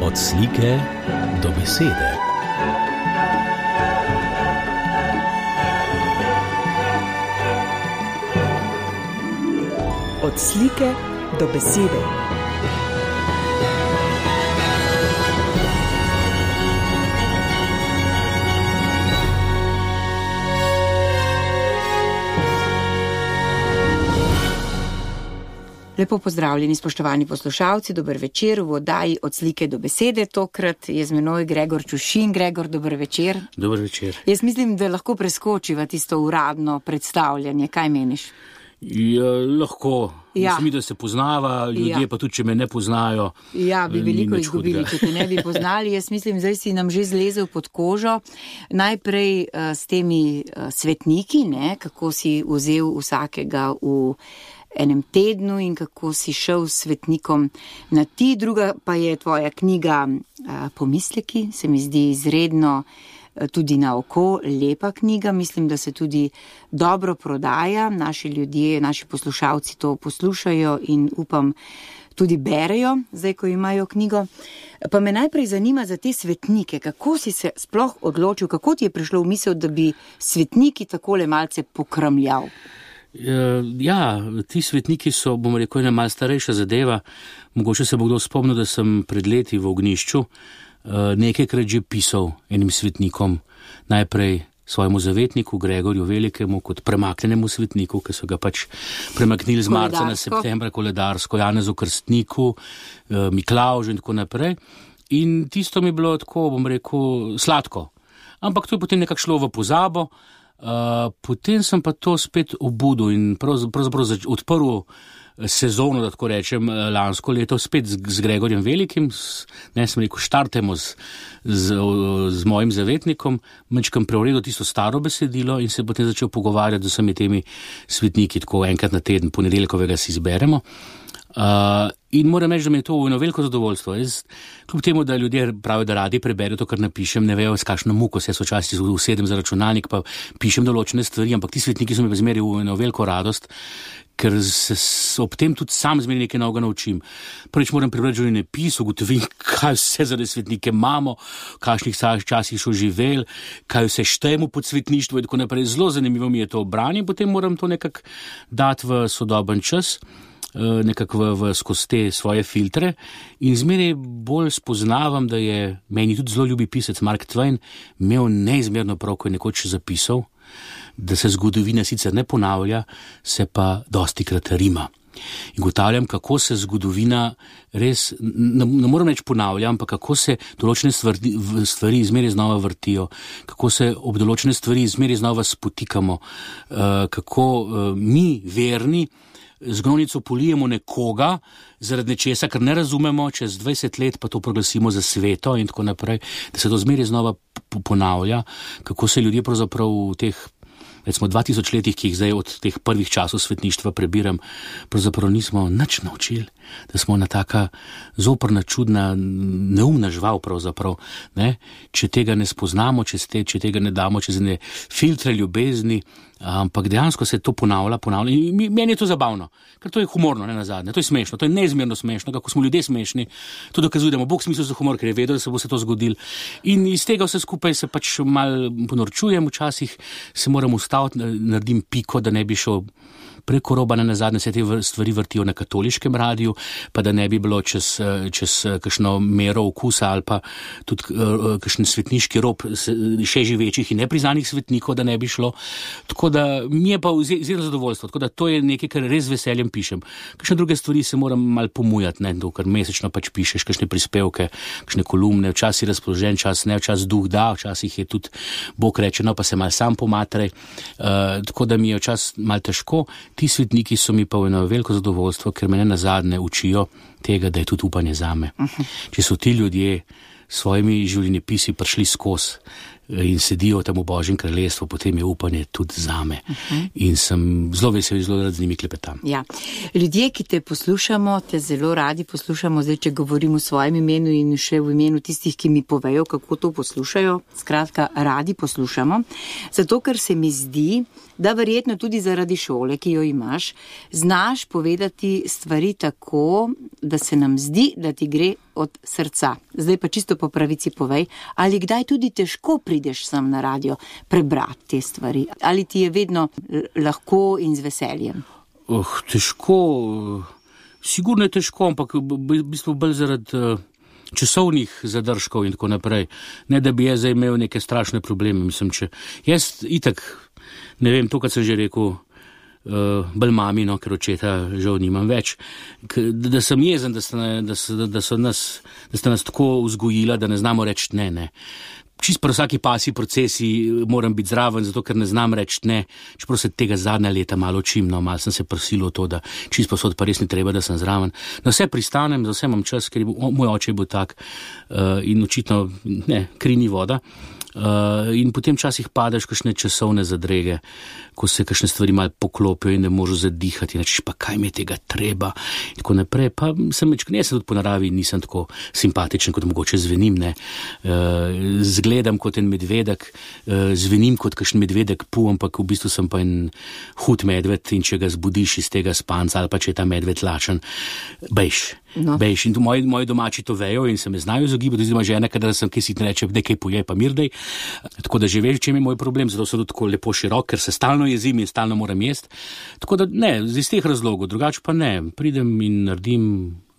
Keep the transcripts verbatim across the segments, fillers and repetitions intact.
Od slike do besede. Od slike do besede. Lepo pozdravljeni, spoštovani poslušalci, dober večer v oddaji Od slike do besede. Tokrat je z menoj Gregor Čušin. Gregor, dober večer. Dober večer. Jaz mislim, da lahko preskočiva tisto uradno predstavljanje. Kaj meniš? Ja, lahko. Ja. Mislim, da se poznava, ljudje ja. Pa tudi, če me ne poznajo. Ja, bi veliko izgubili, če te ne bi poznali. Jaz mislim, zdaj si nam že zlezel pod kožo. Najprej uh, s temi uh, svetniki, ne, kako si vzel vsakega v enem tednu in kako si šel s svetnikom na ti. Druga pa je tvoja knjiga uh, Pomisleki, se mi zdi izredno tudi na oko, lepa knjiga, mislim, da se tudi dobro prodaja, naši ljudje, naši poslušalci to poslušajo in upam tudi berejo, zdaj, ko imajo knjigo. Pa me najprej zanima za te svetnike, kako si se sploh odločil, kako ti je prišlo v misel, da bi svetniki takole malce pokramljal? Ja, ti svetniki so, bom rekel, ena malo starejša zadeva. Mogoče se bo kdo spomnil, da sem pred leti v Ognjišču nekajkrat že pisal enim svetnikom, najprej svojemu zavetniku Gregorju Velikemu kot premaknenemu svetniku, ki so ga pač premaknili z marca na septembra, koledarsko, Janezu Krstniku, Miklavžu in tako naprej. In tisto mi je bilo tako, bom rekel, sladko. Ampak to je potem nekako šlo v pozabo. Uh, potem sem pa to spet obudil in pravzaprav odprl sezono, da tako rečem, lansko leto spet z, z Gregorjem Velikim, s, ne sem rekel, štartemo z, z, z mojim zavetnikom, mečkam preuredil tisto staro besedilo in se potem začel pogovarjati z vsemi temi svetniki, tako enkrat na teden, ponedeljkovega si izberemo. Uh, in moram reči, da mi je to eno veliko zadovoljstvo. Jaz, kljub temu, da ljudje pravijo, da radi preberejo to, kar napišem, ne vejo, s kakšno muko se včasih usedem za računalnik, pa pišem določene stvari, ampak ti svetniki so mi zmeri v eno veliko radost, ker se ob tem tudi sam zmeri nekaj novega naučim. Prvič moram prebrati življenjepis, ugotovim, kaj vse za svetnike imamo, v kakšnih časih so živeli, kaj vse štejemo pod svetništvo in tako naprej. Zelo zanimivo mi je to branje, potem moram to nekako dati v sodoben čas, nekako v, v skozi te svoje filtre in zmeraj bolj spoznavam, da je meni tudi zelo ljubi pisec Mark Twain imel neizmerno prav, ko je nekoč zapisal, da se zgodovina sicer ne ponavlja, se pa dostikrat rima. In ugotavljam, kako se zgodovina res, ne, ne moram reči ponavlja, ampak kako se določene stvari, stvari zmeraj znova vrtijo, kako se ob določene stvari zmeraj znova spotikamo, uh, kako uh, mi, verni, z gnojnico polijemo nekoga zaradi nečesa, kar ne razumemo, čez dvajset let pa to proglasimo za sveto in tako naprej, da se to zmeraj znova ponavlja, kako se ljudje pravzaprav v teh, recimo, dva tisoč letih, ki jih zdaj od teh prvih časov svetništva prebiram, pravzaprav nismo nič naučili, da smo ena taka zoprna, čudna, neumna žival pravzaprav, ne? Če tega ne spoznamo, če, ste, če tega ne damo čez ne filtre ljubezni, ampak dejansko se to ponavlja, ponavlja in meni je to zabavno, ker to je humorno, ne nazadnje, to je smešno, to je neizmerno smešno, kako smo ljudje smešni, to dokazuje, da ima Bog smisel za humor, ker je vedel, da se bo se to zgodilo in iz tega vse skupaj se pač mal ponorčujem, včasih se moram ustaviti, naredim piko, da ne bi šel preko roba, na nazadnje se te stvari vrtijo na katoliškem radiju, pa da ne bi bilo čez, čez kakšno mero okusa ali pa tudi uh, kakšen svetniški rob še živečih in nepriznanih svetnikov, da ne bi šlo. Tako da mi je pa zelo zadovoljstvo, tako da to je nekaj, kar res veseljem pišem. Kakšne druge stvari se moram mal pomujati, ne, to, kar mesečno pač pišeš, kakšne prispevke, kakšne kolumne, včasih razpoložen čas, ne, včasih duh da, včasih je tudi Bog reče, no pa se mal sam pomatrej, uh, tako da mi je včasih mal težko. Ti svetniki so mi pa eno veliko zadovoljstvo, ker me ne nazadnje učijo tega, da je tudi upanje zame. Uh-huh. Če so ti ljudje s svojimi življenjepisi prišli skozi in sedijo tam v Božjem kraljestvu, potem je upanje tudi zame. Uh-huh. In sem zelo vesel, zelo rad z njimi klepetam. Ja. Ljudje, ki te poslušamo, te zelo radi poslušamo, zdaj, če govorim v svojem imenu in še v imenu tistih, ki mi povejo, kako to poslušajo, skratka, radi poslušamo, zato ker se mi zdi, da verjetno tudi zaradi šole, ki jo imaš, znaš povedati stvari tako, da se nam zdi, da ti gre od srca. Zdaj pa čisto po pravici povej, ali kdaj tudi težko prideš sem na radio prebrati te stvari, ali ti je vedno lahko in z veseljem? Oh, težko, sigurno je težko, ampak v bistvu bolj zaradi uh, časovnih zadržkov in tako naprej. Ne, da bi jaz zdaj imel neke strašne probleme, mislim, če jaz itak, ne vem, to, kar sem že rekel, uh, bolj mamino, ker očeta žal nimam več, K, da, da sem jezen, da, sta, da, so, da, so nas, da sta nas tako vzgojila, da ne znamo reči ne, ne. Čist pri vsaki pasji procesi moram biti zraven, zato ker ne znam reči ne, čeprav se tega zadnja leta malo učim, no, malo sem se prisilil v to, da čist posod pa res ni treba, da sem zraven. Na vse pristanem, za vse imam čas, ker je bil, moj oče je bil tak uh, in očitno ne, kri ni voda. Uh, in potem časih padeš kakšne časovne zadrege, ko se kakšne stvari malo poklopijo in ne možeš zadihati, in rečeš, pa kaj mi je tega treba, in tako naprej. Pa sem več, ne, sem tudi po naravi nisem tako simpatičen, kot mogoče zvenim, ne. Uh, zgledam kot en medvedek, uh, zvenim kot kakšen medvedek pu, ampak v bistvu sem pa en hud medved, in če ga zbudiš iz tega spanca, ali pa če je ta medved lačen, bejš. No. Bejš, in moji, moji domači to vejo in se me znajo izogibati, oziroma žena, kadar sem kaj si ne reče, da kaj poje, pa mirdej. Tako da že veš, čem je moj problem, zato so tudi tako lepo širok, ker se stalno jezim in stalno moram jesti. Tako da ne, iz teh razlogov, drugače pa ne, pridem in naredim,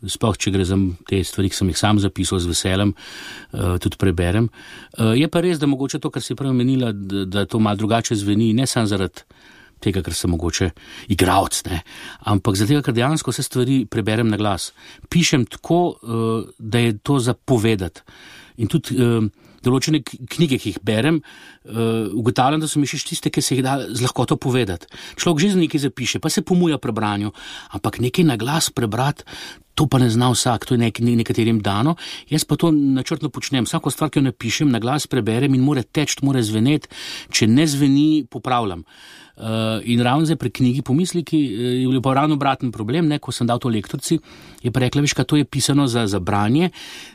sploh če gre za te stvari, ki sem jih sam zapisal z veseljem, uh, tudi preberem. Uh, je pa res, da mogoče to, kar si prej omenila, da, da to malo drugače zveni, ne samo zaradi tega, ker sem mogoče igralec, ne, ampak zaradi tega, ker dejansko vse stvari preberem na glas. Pišem tako, uh, da je to za povedati. In tudi uh, določene knjige, ki jih berem, uh, ugotavljam, da so mi še tiste, ki se jih da z lahkoto povedati. Človek že z nekaj zapiše, pa se pomuja pri branju, ampak nekaj na glas prebrati, to pa ne zna vsak, to je nek, nekaterim dano. Jaz pa to načrtno počnem. Vsako stvar, ki jo napišem, na glas preberem in mora teči, mora zveneti. Če ne zveni, popravljam. Uh, in ravno zdaj pri knjigi Pomisliki je bil pa ravno obraten problem, ne, ko sem dal to lektorici, je pa rekla, veš, kaj to je pisano za, za branje,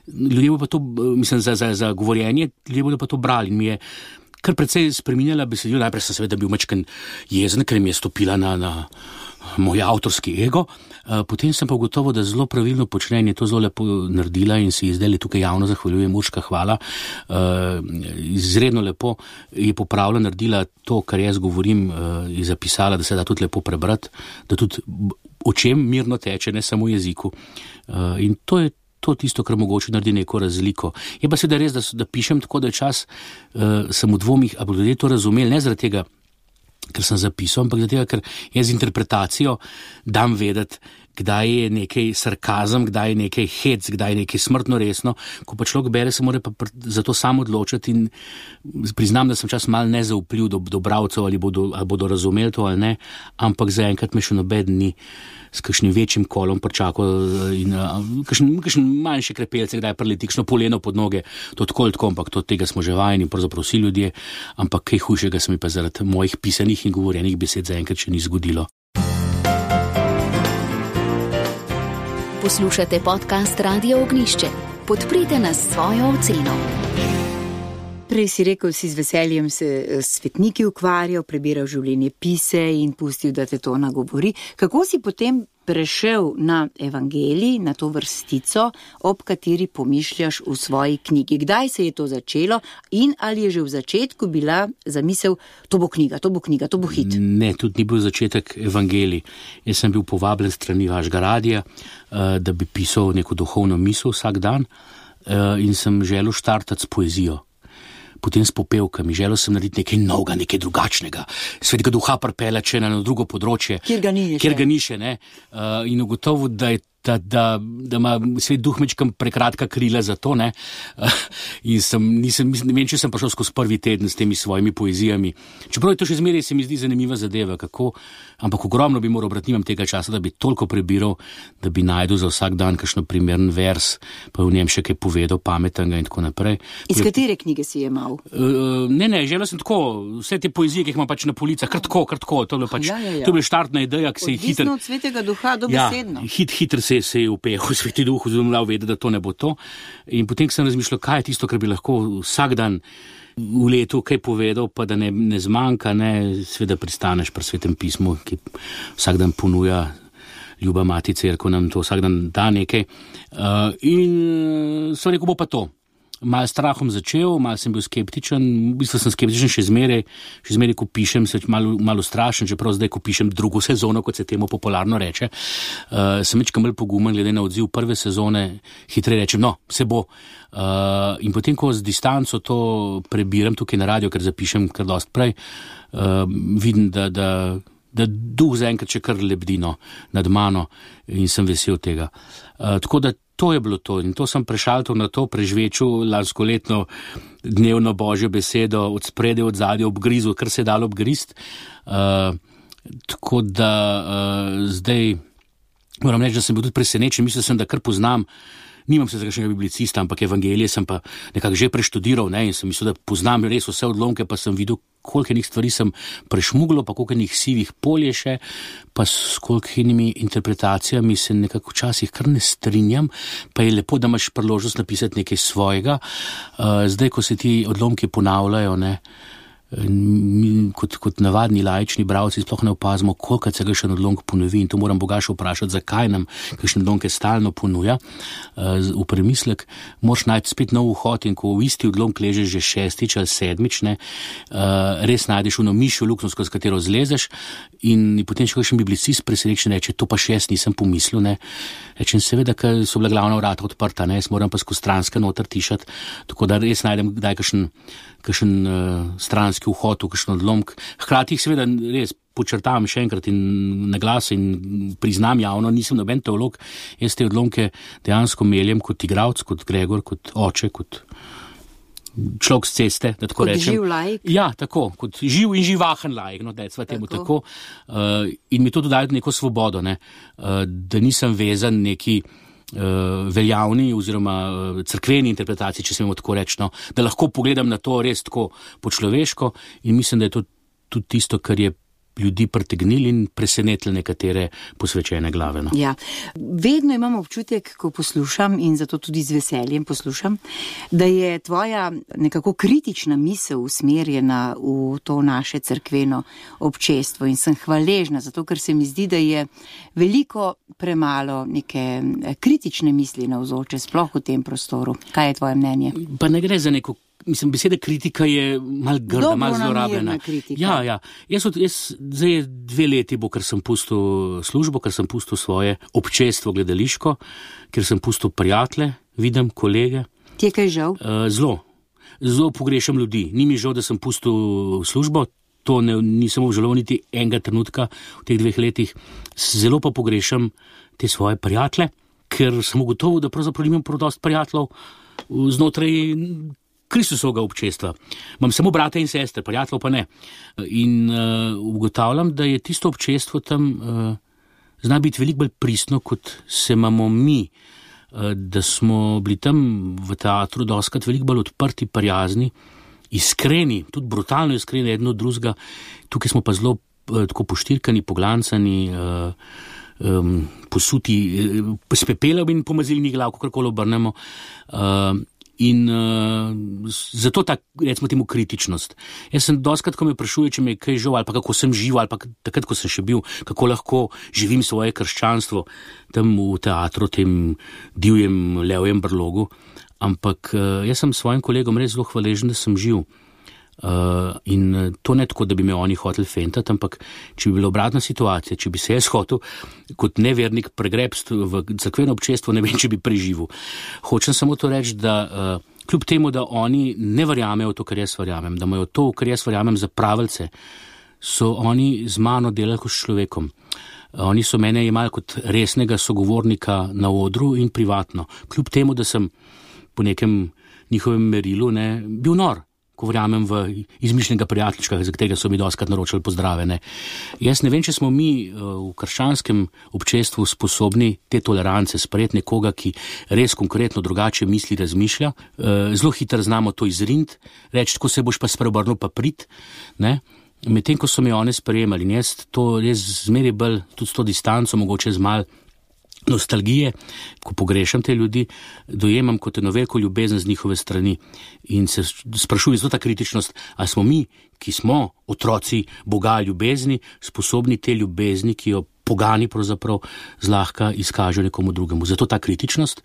ljudje bodo pa to, mislim, za, za, za govorjenje, ljudje bodo pa to brali. In mi je kar precej spreminjala besedilo, najprej sem seveda bil mačken jezen, ker mi je stopila na, na moj avtorski ego, uh, potem sem pa ugotovil, da zelo pravilno počne in je to zelo lepo naredila in si zdaj tukaj javno zahvaljujem, Urška, hvala, uh, izredno lepo je popravila, naredila to, kar jaz govorim, uh, je zapisala, da se da tudi lepo prebrati, da tudi očem mirno teče, ne samo jeziku. Uh, in to je to tisto, kar mogoče naredi neko razliko. Je pa seveda res, da, da pišem tako, da je čas, uh, sem v dvomih, a bodo ljudje to razumeli, ne zaradi tega, ker sem zapisal, ampak zato, ker jaz z interpretacijo dam vedeti, kdaj je nekaj sarkazem, kdaj je nekaj hec, kdaj je nekaj smrtno resno. Ko pa človek bere, se mora pa za to sam odločiti in priznam, da sem čas mal nezaupljiv do, do bralcev, ali bodo, ali bodo razumeli to ali ne, ampak zaenkrat me še nobeden ni s kakšnim večjim kolom pričakal in kakšen, kakšen manjši krepelce, kdaj preleti kakšno poleno pod noge, to tako ali tako, ampak to tega smo že vajeni, pravzaprav vsi ljudje, ampak kaj hujšega se mi pa zaradi mojih pisanih in govorjenih besed zaenkrat še ni zgodilo. Poslušate podcast Radio Ognjišče. Podprite nas s svojo oceno. Prej si rekel, si z veseljem se svetniki ukvarjal, prebiral življenje pise in pustil, da te to nagovori. Kako si potem prešel na evangelij, na to vrstico, ob kateri pomišljaš v svoji knjigi? Kdaj se je to začelo in ali je že v začetku bila zamisel, to bo knjiga, to bo knjiga, to bo hit? Ne, tudi ni bil začetek evangelij. Jaz sem bil povabljen strani vašega radija, da bi pisal neko duhovno misel vsak dan in sem želel štartati s poezijo. Potem s popevkami, želel sem narediti nekaj novega, nekaj drugačnega, svetega duha pripeljati na drugo področje, kjer ga ni še, kjer ga ni še ne? Uh, in ugotovil, da je da, da, da ima svet duh mečkam prekratka krila za to, ne, uh, in sem, nisem, ne vem, če sem prišel skozi prvi teden s temi svojimi poezijami, čeprav je to še zmeraj se mi zdi zanimiva zadeva, kako, ampak ogromno bi moral brati, nimam tega časa, da bi toliko prebiral, da bi najdel za vsak dan kakšno primeren vers, pa v njem še kaj povedal pametnega in tako naprej. Iz Pre... katere knjige si je imel? Uh, ne, ne, želel sem tako, vse te poezije, ki jih imam pač na policah, kar tako, kar tako, to je pač, ja, ja, ja. To je bila štartna ideja, ki se je hitro... Odvisno od svetega duha, dobesedno. Ja, hit, hitro se, se je upehal sveti duh, oziroma vedel, da to ne bo to. In potem sem razmišljal, kaj je tisto, kar bi lahko vsak dan v letu kaj povedal, pa da ne, ne zmanjka, ne, sveda pristaneš pri Svetem pismu, ki vsak dan ponuja ljuba mati cerkev, nam to vsak dan da nekaj. Uh, in sem rekel, bo pa to. Mal strahom začel, mal sem bil skeptičen, v bistvu sem skeptičen še zmeraj, še zmeraj, ko pišem, se malo, malo strašen, čeprav zdaj, ko pišem drugo sezono, kot se temu popularno reče, uh, sem večkrat bolj pogumen, glede na odziv prve sezone, hitreje rečem, no, se bo. Uh, in potem, ko z distanco to prebiram tukaj na radio, ker zapišem kar dost prej, uh, vidim, da, da, da duh zaenkrat še kar lebdino nad mano in sem vesel tega. Uh, tako da to je bilo to in to sem prešaltal na to, prežvečil lanskoletno dnevno božjo besedo od spredaj, od zadaj, obgrizu, kar se je dalo obgrist. Uh, tako da uh, zdaj moram reči, da sem bil tudi presenečen, mislil sem, da kar poznam, nimam se za kakšnega biblicista, ampak evangelije sem pa nekako že preštudiral, ne, in sem mislil, da poznam res vse odlomke, pa sem videl, koliko enih stvari sem prešmuglo, pa koliko enih sivih polje še, pa s koliko enimi interpretacijami se nekako včasih kar ne strinjam, pa je lepo, da imaš priložnost napisati nekaj svojega. Uh, zdaj, ko se ti odlomki ponavljajo, ne, mi kot, kot navadni laični bralci sploh ne opazimo, koliko se ga še odlomk ponovi in to moram Boga še vprašati, zakaj nam kakšne odlomke stalno ponuja. Uh, v premislek moraš najti spet nov vhod in ko v isti odlomk ležeš že šestič ali sedmič, ne, uh, res najdeš ono mišjo luknjo, skozi katero zlezeš in potem še kakšen biblicist presenečen reče, to pa še jaz nisem pomislil, ne. Rečem, seveda, ker so bila glavna vrata odprta, ne, jaz moram pa skozi stranske noter tišati, tako da res najdem kdaj kakšen, kakšen uh, stranski vhod v kakšen odlomk. Hkrati jih seveda res počrtavam še enkrat in na glas in priznam javno, nisem noben teolog, jaz te odlomke dejansko meljem kot igralec, kot Gregor, kot oče, kot človek z ceste, da tako kot rečem. Živ laik. Ja, tako, kot živ in živahen laik, no, da je sva temu tako. tako. Uh, in mi to dodajo neko svobodo, ne, uh, da nisem vezan neki uh, veljavni oziroma uh, cerkveni interpretaciji, če smemo tako reči, no, da lahko pogledam na to res tako po človeško in mislim, da je to tudi tisto, kar je ljudi pritegnili in presenetili nekatere posvečene glave. No. Ja, vedno imam občutek, ko poslušam in zato tudi z veseljem poslušam, da je tvoja nekako kritična misel usmerjena v to naše cerkveno občestvo in sem hvaležna, zato ker se mi zdi, da je veliko premalo neke kritične misli navzoče, sploh v tem prostoru. Kaj je tvoje mnenje? Pa ne gre za neko Mislim, beseda kritika je mal grda, mal zlorabljena. Ja, ja. Jaz, od, jaz zdaj dve leti bo, ker sem pustil službo, ker sem pustil svoje občestvo gledališko, ker sem pustil prijatelje, vidim kolege. Ti je kaj žal? Uh, zelo. Zelo pogrešam ljudi. Ni mi žal, da sem pustil službo, to ne, nisem obžaloval niti enega trenutka v teh dveh letih. Zelo pa pogrešam te svoje prijatelje, ker sem ugotovil, da pravzaprav nimam prav dosti prijateljev znotraj Kristusovega občestva. Imam samo brate in sestre, prijateljev pa ne. In uh, ugotavljam, da je tisto občestvo tam uh, zna biti veliko bolj pristno, kot se imamo mi. Uh, da smo bili tam v teatru dostikrat veliko bolj odprti, prijazni, iskreni, tudi brutalno iskreni eno od drugega. Tukaj smo pa zelo uh, tako poštirkani, poglancani, uh, um, posuti uh, s pepelom in pomazilnih glav, kakorkoli obrnemo. Uh, In uh, zato ta, recimo temu, kritičnost. Jaz sem dostikrat, ko me vprašuje, če me je kaj žal, ali pa kako sem živ, ali pa takrat, ko sem še bil, kako lahko živim svoje krščanstvo tam v teatru, tem divjem levjem brlogu. Ampak uh, jaz sem svojim kolegom res zelo hvaležen, da sem živ. Uh, in to ne tako, da bi me oni hoteli fentati, ampak če bi bila obratna situacija, če bi se jaz hotel kot nevernik pregrebst v cerkveno občestvo, ne vem, če bi preživel. Hočem samo to reči, da uh, kljub temu, da oni ne verjamejo to, kar jaz verjamem, da imajo to, kar jaz verjamem, za pravilce, so oni z mano delali kot s človekom. Uh, oni so mene imeli kot resnega sogovornika na odru in privatno. Kljub temu, da sem po nekem njihovem merilu ne, bil nor, ko verjamem v izmišljenega prijateljčka, za katerega so mi dostikrat naročali pozdrave. Ne. Jaz ne vem, če smo mi v krščanskem občestvu sposobni te tolerance sprejeti nekoga, ki res konkretno drugače misli, razmišlja. Zelo hitro znamo to izriniti, reči, ko se boš pa spreobrnil, pa prid. Ne. Medtem, ko so mi one sprejemali, in jaz to res zmeraj bolj, tudi s to distanco, mogoče z mal nostalgije, ko pogrešam te ljudi, dojemam kot eno veliko ljubezen z njihove strani in se sprašujem, zato ta kritičnost, a smo mi, ki smo otroci Boga ljubezni, sposobni te ljubezni, ki jo pogani pravzaprav zlahka izkažejo nekomu drugemu. Zato ta kritičnost,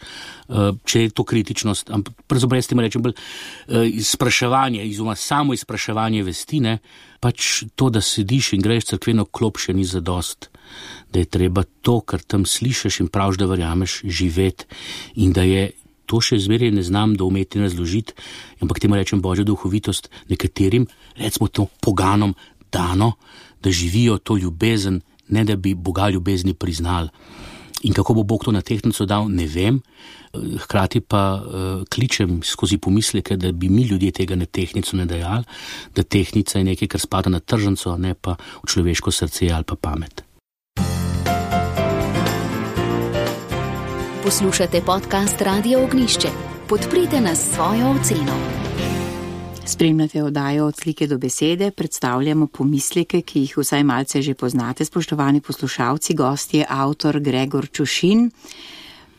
če je to kritičnost, pravzaprav jaz temu rečem bolj izpraševanje, izuma samo izpraševanje vesti, ne, pač to, da sediš in greš cerkveno klop, še ni zadost, da je treba to, kar tam slišiš in praviš, da verjameš, živeti in da je to še zmeraj ne znam doumeti in razložiti, ampak temu rečem Božja duhovitost nekaterim, recimo to poganom dano, da živijo to ljubezen, ne da bi Boga ljubezni priznali. In kako bo Bog to na tehtnico dal, ne vem, hkrati pa uh, kličem skozi pomisleke, da bi mi ljudje tega na tehtnico ne dajali, da tehtnica je nekaj, kar spada na tržnico, ne pa v človeško srce ali pa pamet. Poslušate podcast Radia Ognjišče. Podprite nas s svojo oceno. Spremljate oddajo Od slike do besede, predstavljamo pomisleke, ki jih vsaj malce že poznate, spoštovani poslušalci. Gost je avtor Gregor Čušin.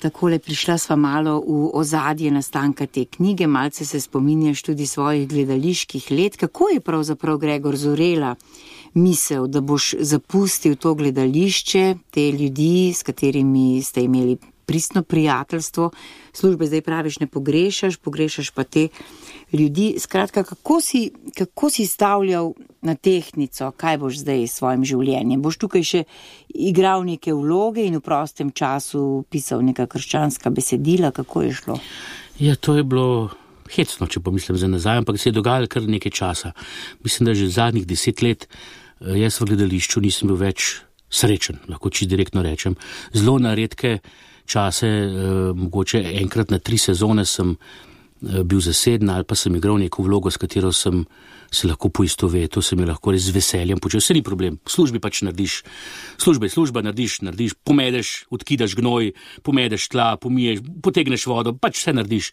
Takole prišla sva malo v ozadje nastanka te knjige, malce se spominjaš tudi svojih gledaliških let. Kako je pravzaprav, Gregor, zorela misel, da boš zapustil to gledališče, te ljudi, s katerimi ste imeli pristno prijateljstvo, službe zdaj praviš ne pogrešaš, pogrešaš pa te ljudi. Skratka, kako si, kako si stavljal na tehtnico, kaj boš zdaj s svojim življenjem? Boš tukaj še igral neke vloge in v prostem času pisal neka krščanska besedila, kako je šlo? Ja, to je bilo hecno, če pomislim za nazaj, ampak se je dogajalo kar nekaj časa. Mislim, da že zadnjih deset let jaz v gledališču nisem bil več srečen, lahko čisto direktno rečem. Zelo na redke čase, eh, mogoče enkrat na tri sezone sem eh, bil zaseden ali pa sem igral neko vlogo, s katero sem se lahko poistovetil, sem jo lahko res z veseljem počel. Vse ni problem, v službi pač narediš, služba je služba, narediš, narediš, pomedeš, odkidaš gnoj, pomedeš tla, pomiješ, potegneš vodo, pač vse narediš.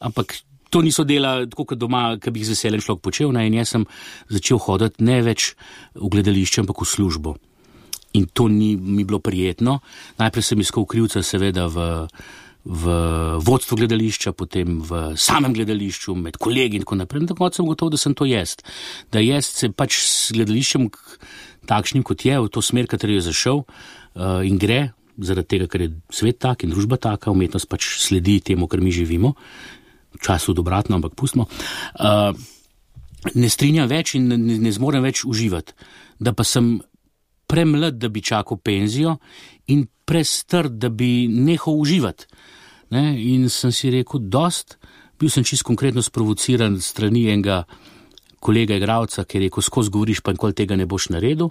Ampak to niso dela tako kot doma, ki bi jih z veseljem človek počel, ne? In jaz sem začel hoditi ne več v gledališče, ampak v službo. In to ni mi bilo prijetno. Najprej sem iskal krivca seveda v, v vodstvu gledališča, potem v samem gledališču, med kolegi in tako naprej. In tako sem gotov, da sem to jaz. Da jaz se pač s gledališčem takšnim, kot je, v to smer, kateri je zašel uh, in gre, zaradi tega, ker je svet tak in družba taka, umetnost pač sledi temu, kar mi živimo. V času dobratno, ampak pustimo. Uh, ne strinjam več in ne, ne zmorem več uživati. Da pa sem premlad, da bi čakal penzijo in prestrt, da bi nehal uživati. Ne? In sem si rekel, dost, bil sem čisto konkretno sprovociran strani enega kolega igralca, ki je rekel, skozi govoriš, pa nikoli tega ne boš naredil.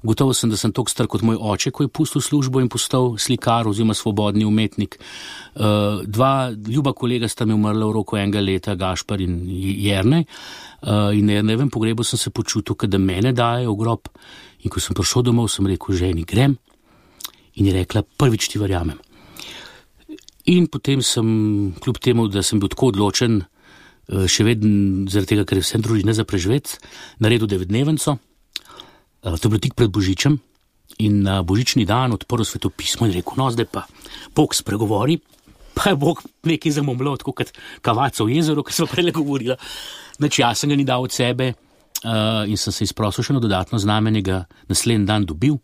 Gotovo sem, da sem toliko star kot moj oče, ko je pustil službo in postal slikar oziroma svobodni umetnik. Uh, dva ljuba kolega sta mi umrla v roku enega leta, Gašpar in Jernej. Uh, in na Jernejevem pogrebu sem se počutil, da mene dajo v grob. In ko sem prišel domov, sem rekel, ženi, grem. In je rekla, prvič ti verjamem. In potem sem, kljub temu, da sem bil tako odločen, še vedno zaradi tega, ker je vsem družine za preživeti, naredil devetdnevenco. To je bilo tik pred Božičem. In na Božični dan odprl svetopismo in rekel, no, zdaj pa Bog spregovori. Pa je Bog nekaj zamomljal, tako kot kavaca v jezeru, kar smo prej govorila. Znači, jaz sem ga ni dal od sebe. Uh, in sem se izprosil še eno dodatno znamenje, ga naslednji dan dobil.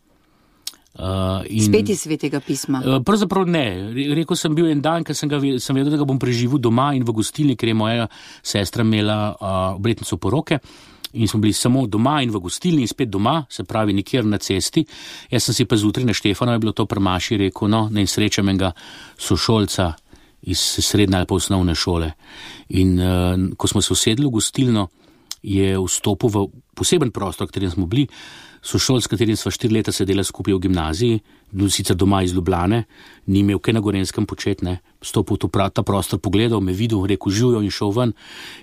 Uh, in, Spet iz svetega pisma? Uh, pravzaprav ne. Rekel sem bil en dan, ker sem, ga, sem vedel, da ga bom preživel doma in v gostilni, ker je moja sestra imela uh, obletnico poroke. In smo bili samo doma in v gostilni in spet doma, se pravi nikjer na cesti. Jaz sem si pa zjutraj na Štefano, je bilo to prmaši, rekel, no, ne srečam enega sošolca iz srednje ali pa osnovne šole. In uh, ko smo se usedli v gostilno, je vstopil v poseben prostor, v katerem smo bili, sošolc, s katerim sva štiri leta sedela skupaj v gimnaziji, sicer doma iz Ljubljane, ni imel kaj na Gorenskem početi, ne, vstopil v ta prostor, pogledal, me videl, rekel živijo in šel ven,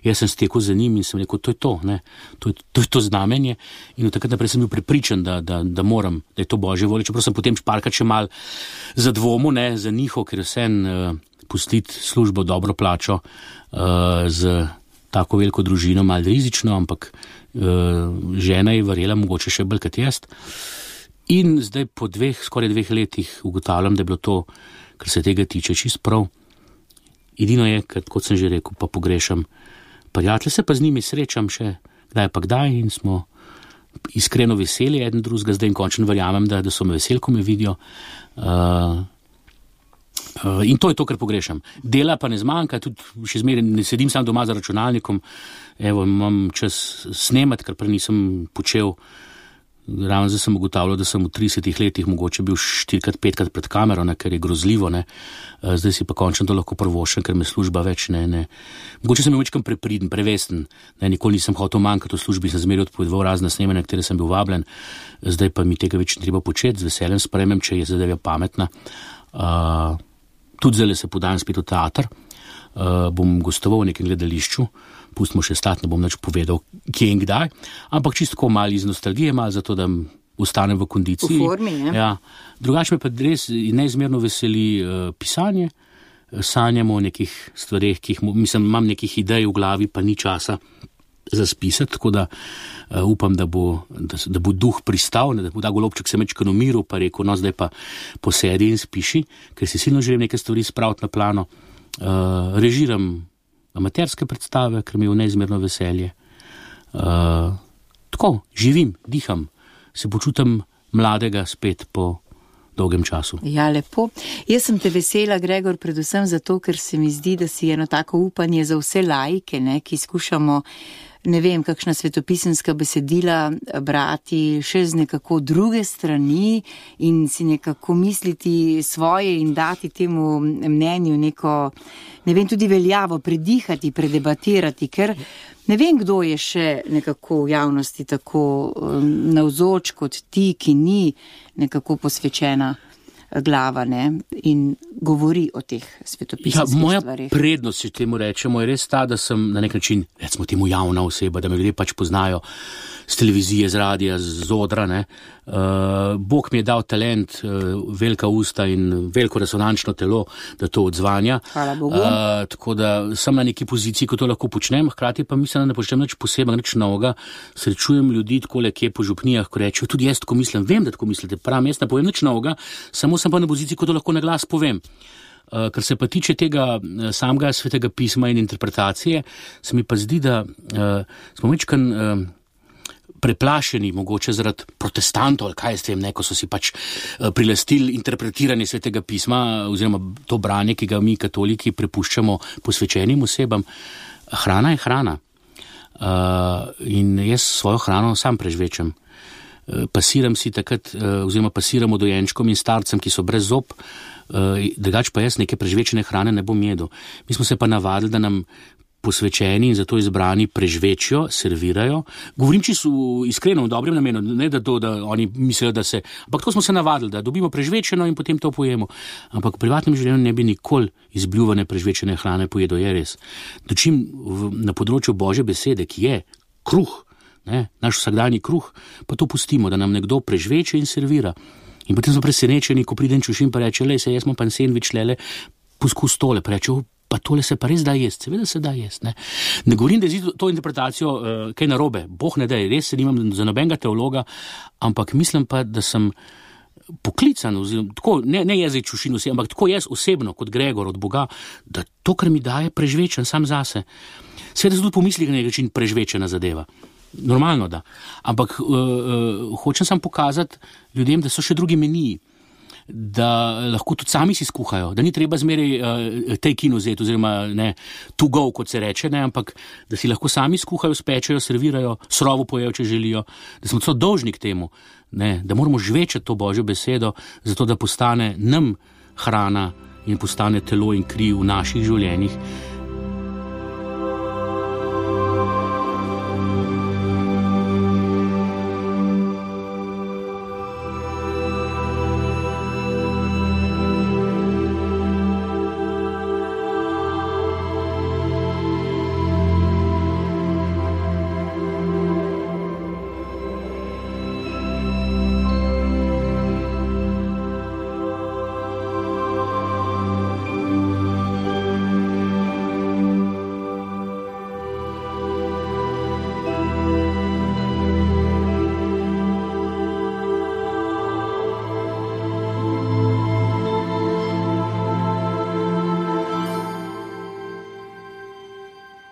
jaz sem stekel za njim in sem rekel, to je to, ne, to je to, je to znamenje in od takrat naprej sem bil prepričan, da, da, da moram, da je to Božje volje, čeprav sem potem šparkat še mal za dvomu, ne, za njihov, ker je vsem uh, pustiti službo dobro plačo uh, z tako veliko družino, malo rizično, ampak uh, žena je verjela mogoče še bolj kot jaz. In zdaj po dveh, skoraj dveh letih ugotavljam, da je bilo to, kar se tega tiče, čist prav. Edino je, kot sem že rekel, pa pogrešam prijatelje, se pa z njimi srečam še kdaj pa kdaj in smo iskreno veseli eden drugega, zdaj in končno verjamem, da, da so me veseli, ko me vidijo. Uh, uh, in to je to, kar pogrešam. Dela pa ne zmanjka, tudi še zmeraj ne sedim sam doma za računalnikom, evo, imam čas snemati, kar prej nisem počel. Ravno zdaj sem ugotavljal, da sem v tridesetih letih mogoče bil štirikrat, petkrat pred kamero, ne, ker je grozljivo, ne. Zdaj si pa končno to lahko prvoščem, ker me služba več ne, ne. Mogoče sem bil večkrat prepriden, prevesten, ne, nikoli nisem hotel manjkati v službi, sem zmeraj odpovedoval razne snemanja, na katere sem bil vabljen, zdaj pa mi tega več ne treba početi, z veseljem sprejmem, če je zadeva pametna. Uh, tudi zdaj se podam spet v teater, uh, bom gostoval v nekem gledališču, pustimo še stati, ne bom nič povedal, kje in kdaj, ampak čisto malo iz nostalgije, malo zato, da ostanem v kondiciji. V formi, ne? Ja. Drugače me pa res neizmerno veseli uh, pisanje, sanjam o nekih stvareh, ki jih, mislim, imam nekih idej v glavi, pa ni časa za spisati, tako da uh, upam, da bo, da, da bo duh pristal, da bo ta golobček se mečkano umiril, pa rekel, no zdaj pa posedi in spiši, ker si silno želim neke stvari spraviti na plano. Uh, režiram amaterske predstave, ker mi je v neizmerno veselje. Uh, tako, živim, diham, se počutim mladega spet po dolgem času. Ja, lepo. Jaz sem te vesela, Gregor, predvsem zato, ker se mi zdi, da si eno tako upanje za vse laike, ne, ki skušamo, ne vem, kakšna svetopisemska besedila brati še z nekako druge strani in si nekako misliti svoje in dati temu mnenju neko, ne vem, tudi veljavo, predihati, predebatirati, ker ne vem, kdo je še nekako v javnosti tako um, navzoč kot ti, ki ni nekako posvečena glava, ne, in govori o teh svetopisemskih ja, moja stvarih. Moja prednost, če temu rečemo, je res ta, da sem na nek način, recimo temu javna oseba, da me ljudje pač poznajo z televizije, z radija, z odra, ne. Uh, Bog mi je dal talent, uh, velika usta in veliko resonančno telo, da to odzvanja. Hvala Bogu. Uh, tako da sem na neki poziciji, ko to lahko počnem, hkrati pa mislim, da ne počnem nič posebno, nič novega. Srečujem ljudi takole, kje po župnijah, ko rečejo, tudi jaz tako mislim, vem, da tako mislite, pravim, jaz ne povem nič novega, samo sem pa na poziciji, ko to lahko na glas povem. Uh, kar se pa tiče tega uh, samega svetega pisma in interpretacije, se mi pa zdi, da uh, smo večkrat uh, preplašeni, mogoče zaradi protestantov, ali kaj jaz vem, ne, ko so si pač uh, prilastili interpretiranje svetega pisma, oziroma to branje, ki ga mi katoliki prepuščamo posvečenim osebam. Hrana je hrana. Uh, in jaz svojo hrano sam prežvečem. Uh, pasiram si takrat, uh, oziroma pasiramo dojenčkom in starcem, ki so brez zob, uh, drugač pa jaz neke prežvečene hrane ne bom jedel. Mi smo se pa navadili, da nam posvečeni in zato izbrani prežvečijo, servirajo. Govorim čisto iskreno, v dobrem namenu, ne da to, da oni mislijo, da se, ampak to smo se navadili, da dobimo prežvečeno in potem to pojemo. Ampak v privatnem življenju ne bi nikoli izbljuvane prežvečene hrane pojedel, je res. Dočim v, na področju Božje besede, ki je kruh, ne, naš vsakdanji kruh, pa to pustimo, da nam nekdo prežveče in servira. In potem smo presenečeni, ko priden čušim pa reče, lej se, jaz imam pa sendvič, lele, poskus tole, pa reče, pa tole se pa res da jest, seveda se da jest, ne. Ne govorim, da je to interpretacijo uh, kaj narobe, Bog ne da, res se nimam za nobenega teologa, ampak mislim pa, da sem poklican, oziroma, tako, ne, ne jaz čušin vse, ampak tako jaz osebno, kot Gregor od Boga, da to, kar mi daje, prežvečen sam zase. Seveda se tudi pomisli, na nek način prežvečena zadeva. Normalno da. Ampak uh, uh, hočem sam pokazati ljudem, da so še drugi meniji, da lahko tudi sami si skuhajo, da ni treba zmeraj uh, take in vzeti, oziroma ne, to go, kot se reče, ne, ampak da si lahko sami skuhajo, spečejo, servirajo, srovo pojejo, če želijo, da smo celo dolžni k temu, ne, da moramo žvečati to Božjo besedo, zato da postane nam hrana in postane telo in kri v naših življenjih.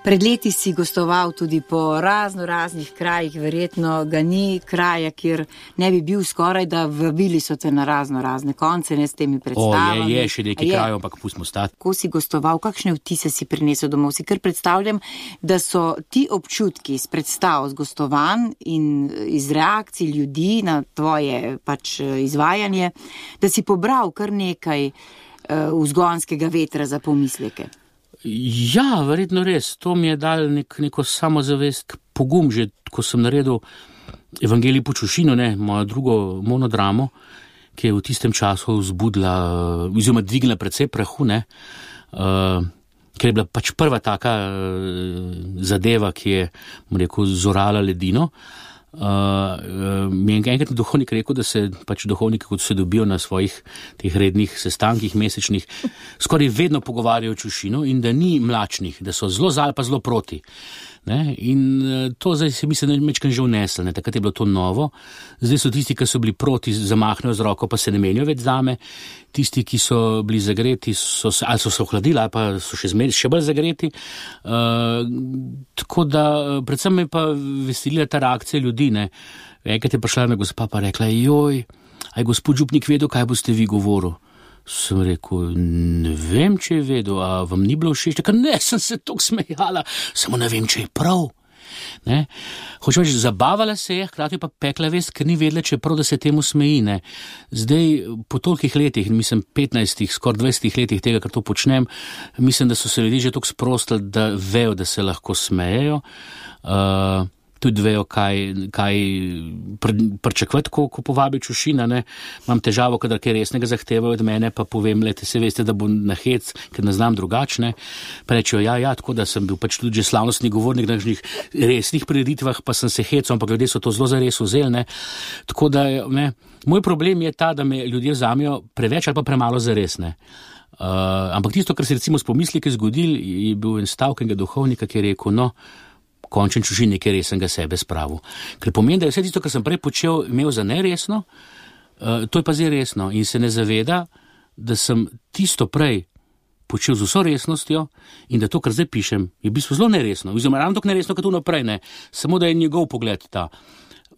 Pred leti si gostoval tudi po razno raznih krajih, verjetno ga ni kraja, kjer ne bi bil skoraj, da vabili so te na razno razne konce, ne s temi predstavami. O, je, je še nekaj krajev, ampak pustimo stati. Ko si gostoval, kakšne vtise si prinesel domov? Si kar predstavljam, da so ti občutki z predstav, z gostovanj in iz reakcij ljudi na tvoje pač izvajanje, da si pobral kar nekaj uh, vzgonskega vetra za pomisleke. Ja, verjetno res. To mi je dal nek, neko samozavest, pogum, že ko sem naredil Evangelij po Čušinu, ne, mojo drugo monodramo, ki je v tistem času vzbudila, oziroma dvignila precej prahu, ne, uh, ker je bila pač prva taka uh, zadeva, ki je, bom rekel, zorala ledino. Uh, uh, mi je enkrat duhovnik rekel, da se pač duhovniki, kot se dobijo na svojih teh rednih sestankih mesečnih, skoraj vedno pogovarjajo o Čušinu in da ni mlačnih, da so zelo za ali pa zelo proti. Ne? In uh, to zdaj se mislim, da je mečkan že vnesel, ne? Takrat je bilo to novo. Zdaj so tisti, ki so bili proti, zamahnejo z roko, pa se ne menijo več zame. Tisti, ki so bili zagreti, so se, ali so se ohladili, ali pa so še, zmer, še bolj zagreti. Uh, tako da, predvsem me pa veselila ta reakcija ljudi, ne. Enkrat je prišla me gospa pa rekla, joj, aj gospod župnik vedel, kaj boste vi govoril? Sem rekel, ne vem, če je vedel, a vam ni bilo všeč? Tako, ne, sem se toliko smejala, samo ne vem, če je prav. Ne? Hočem reči, zabavala se je, hkrati pa pekla vest, ker ni vedela, če je prav, da se temu smeji. Ne? Zdaj, po tolikih letih, mislim petnajstih, skoraj dvajsetih letih tega, kar to počnem, mislim, da so se ljudje že toliko sprostili, da vejo, da se lahko smejejo. Uh, tudi vejo, kaj, kaj pričakovati, ko, ko povabi Čušina, ne. Imam težavo, kadar kaj resnega zahtevajo od mene, pa povem, lete, se veste, da bo na hec, ker ne znam drugačne. Pa rečejo, ja, ja, tako da sem bil pač tudi že slavnostni govornik na kakšnih resnih prireditvah, pa sem se hecel, ampak ljudje so to zelo zares vzeli, ne. Tako da, ne, moj problem je ta, da me ljudje vzamejo preveč ali pa premalo zares, ne. Uh, ampak tisto, kar se recimo s pomisliki zgodil, je bil en stavek enega duhovnika, ki je rekel, no, končen Čušin nekaj resnega sebe spravil. Ker pomeni, da je vse tisto, kar sem prej počel, imel za neresno, uh, to je pa zdaj resno in se ne zaveda, da sem tisto prej počel z vso resnostjo in da to, kar zdaj pišem, je v bistvu zelo neresno. Oziroma, ravno tako neresno, kot to naprej, ne. Samo da je njegov pogled ta.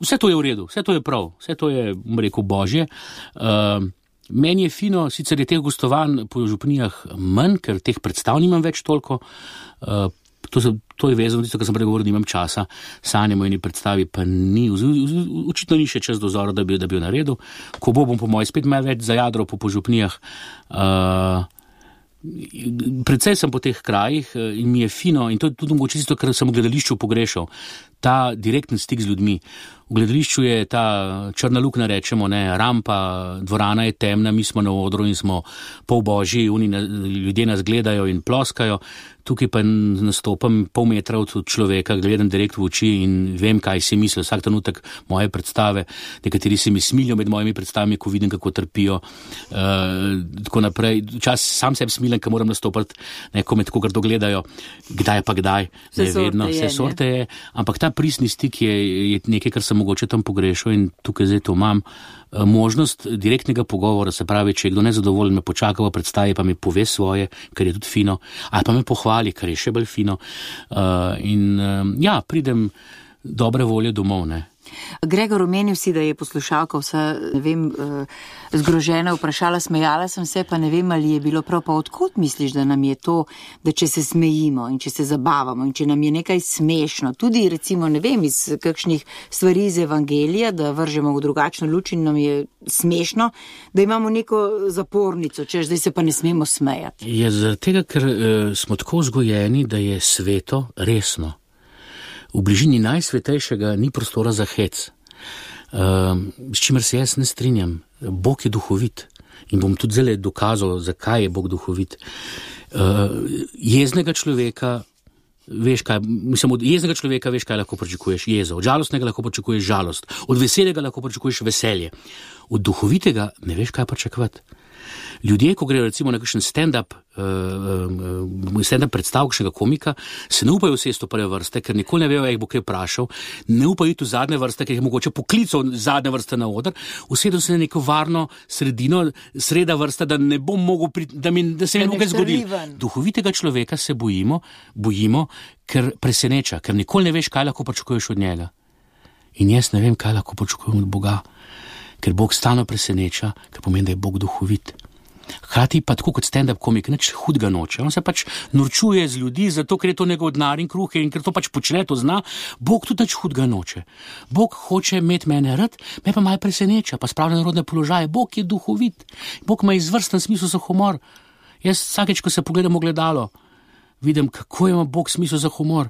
Vse to je v redu, vse to je prav, vse to je, bom rekel, božje. Uh, Meni je fino, sicer je teh gostovanj po župnijah manj, ker teh predstav nimam več toliko, uh, To, se, to je vezano, tisto, kar sem pregovoril, da imam časa, sanjamo eni predstavi, pa ni, očitno ni še čas do zora, da bi, da bi jo naredil. Ko bo, bom po moji spet malo več zajadral po, po župnijah. Uh, predvsej sem po teh krajih in mi je fino, in to je tudi mogoče tisto, kar sem v gledališču pogrešal, ta direktni stik z ljudmi. V gledališču je ta črna luknja, rečemo, ne, rampa, dvorana je temna, mi smo na odru in smo pol božji, oni, ljudje nas gledajo in ploskajo. Tukaj pa nastopam pol metra od človeka, gledam direkt v oči in vem, kaj si misli vsak trenutek moje predstave. Nekateri se mi smilijo med mojimi predstavami, ko vidim, kako trpijo. Uh, tako naprej. Čas sam sebi smilim, ko moram nastopati, neko med kogar dogledajo. Kdaj pa kdaj, ne vedno, vse sorte je. Ampak ta pristni stik je, je nekaj, kar sem mogoče tam pogrešal in tukaj zdaj to imam. Možnost direktnega pogovora, se pravi, če je kdo nezadovoljen, me počaka v predstavi, pa mi pove svoje, kar je tudi fino, ali pa me pohvali, kar je še bolj fino. Uh, in uh, ja, pridem dobre volje domov, ne. Gregor, omenil si, da je poslušalka vsa, ne vem, zgrožena, vprašala, smejala sem se, pa ne vem, ali je bilo prav, pa odkot misliš, da nam je to, da če se smejimo in če se zabavamo in če nam je nekaj smešno, tudi recimo, ne vem, iz kakšnih stvari iz Evangelija, da vržemo v drugačno luč in nam je smešno, da imamo neko zapornico, češ, zdaj se pa ne smemo smejati. Je zaradi tega, ker uh, smo tako vzgojeni, da je sveto resno. V bližini najsvetejšega ni prostora za hec, uh, s čimer se jaz ne strinjam. Bog je duhovit in bom tudi zdaj dokazal, zakaj je Bog duhovit. Uh, jeznega človeka, veš kaj, mislim, od jeznega človeka veš, kaj lahko pričakuješ, jezo. Od žalostnega lahko pričakuješ žalost. Od veselega lahko pričakuješ veselje. Od duhovitega ne veš, kaj pričakovati. Ljudje, ko grejo recimo na kakšen stand-up, uh, stand-up predstav kakšnega komika, se ne upajo sesti v prve vrste, ker nikoli ne vejo, jih bo kaj vprašal, ne upajo iti v zadnje vrste, ker jih mogoče poklical zadnje vrste na oder, usedem se na neko varno sredino, sreda vrsta, da ne bom mogel, pri, da, mi, da se mi bo kaj zgodilo. Duhovitega človeka se bojimo, bojimo, ker preseneča, ker nikoli ne veš, kaj lahko pričakuješ od njega. In jaz ne vem, kaj lahko pričakujem od Boga. Ker Bog stalno preseneča, ker pomeni, da je Bog duhovit. Hkrati pa tako kot stand-up komik, nič hudega noče. On se pač norčuje z ljudi, zato ker je to njegov denar in kruh in ker to pač počne, to zna. Bog tudi nič hudega noče. Bog hoče imeti mene rad, me pa malo preseneča, pa spravlja na narodne položaje. Bog je duhovit. Bog ima izvrsten smisel za humor. Jaz vsakeč, ko se pogledam v ogledalo, vidim, kako ima Bog smisel za humor.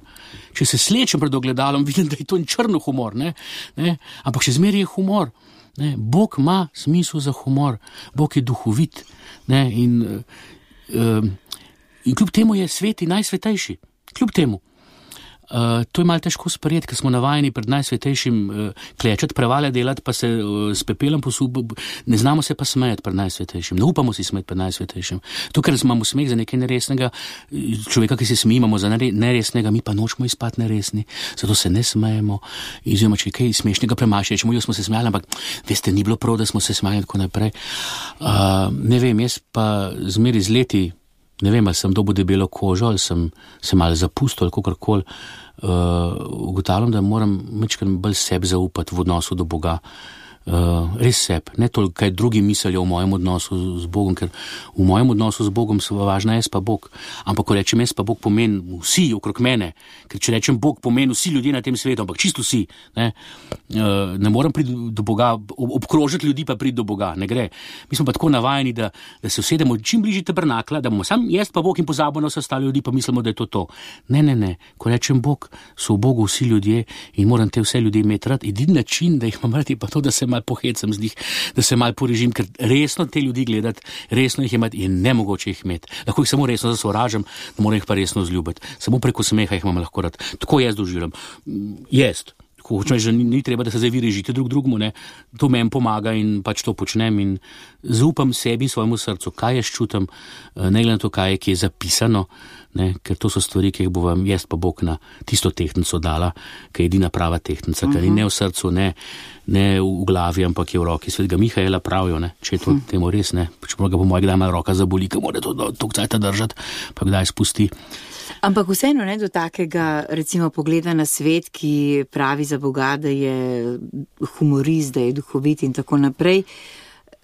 Če se slečem pred ogledalom, vidim, da je to črno humor, ne? Ne? Ampak še zmeraj je humor. Ne, Bog ima smisel za humor, Bog je duhovit, ne, in, uh, in kljub temu je sveti najsvetejši, kljub temu. Uh, to je malo težko sprejeti, ker smo navajeni pred najsvetejšim uh, klečati, prevale delati, pa se uh, s pepelom posub, ne znamo se pa smejati pred najsvetejšim, ne upamo si smeti pred najsvetejšim. To, ker imamo smeh za nekaj neresnega, človeka, ki se smi, imamo za neresnega, mi pa nočemo izpati neresni, zato se ne smejemo. Izjema, če kaj smešnega premaši, rečemo, jo smo se smejali, ampak veste, ni bilo prav, da smo se smejali in tako naprej. Uh, ne vem, jaz pa zmeri z leti, ne vem, ali sem dobil debelo kožo, ali sem se malo zapustil, ali kakorkoli, uh, ugotavljam, da moram majčkeno bolj sebi zaupati v odnosu do Boga. Uh, res seb, ne toliko, kaj drugi mislijo o mojem odnosu z Bogom, ker v mojem odnosu z Bogom so važna jaz pa Bog. Ampak ko rečem jaz pa Bog, pomeni vsi okrog mene, ker če rečem Bog, pomeni vsi ljudje na tem svetu, ampak čisto vsi. Ne, uh, ne morem priti do Boga, ob, obkrožiti ljudi pa priti do Boga, ne gre. Mi smo pa tako navajeni, da, da se usedemo čim bližje tabernakla, da bomo sam jaz pa Bog in pozabimo na vse ostale ljudi, pa mislimo, da je to to. Ne, ne, ne, ko rečem Bog, so v Bogu vsi ljudje in moram te vse ljudi imeti rad. Edini način, da jih imam rad, je pa to, da se malo pohecam z njih, da se malo porežim, ker resno te ljudi gledati, resno jih imeti je nemogoče jih imeti. Lahko jih samo resno zasovražim, da moram jih pa resno zljubiti. Samo preko smeha jih imam lahko rad. Tako jaz doživljam. Jaz. Ko hočem, že ni, ni treba, da se zdaj vi režite drug drugmu, ne. To meni pomaga in pač to počnem in zaupam sebi in svojemu srcu, kaj jaz čutim, ne glede na to, kaj je, ki je zapisano, ne, ker to so stvari, ki jih bo vam jaz pa Bog na tisto tehtnico dala, ki je edina prava tehtnica, uh-huh. Ker je ne v srcu, ne, ne v glavi, ampak je v roki. Svetega Mihaela pravijo, ne, če je to uh-huh. temu res, ne, čeprav ga po moje kdaj malo roka zaboli, ker mora to toliko cajta držati, pa kdaj spusti. Ampak vseeno ne do takega, recimo, pogleda na svet, ki pravi za Boga, da je humorist, da je duhovit in tako naprej.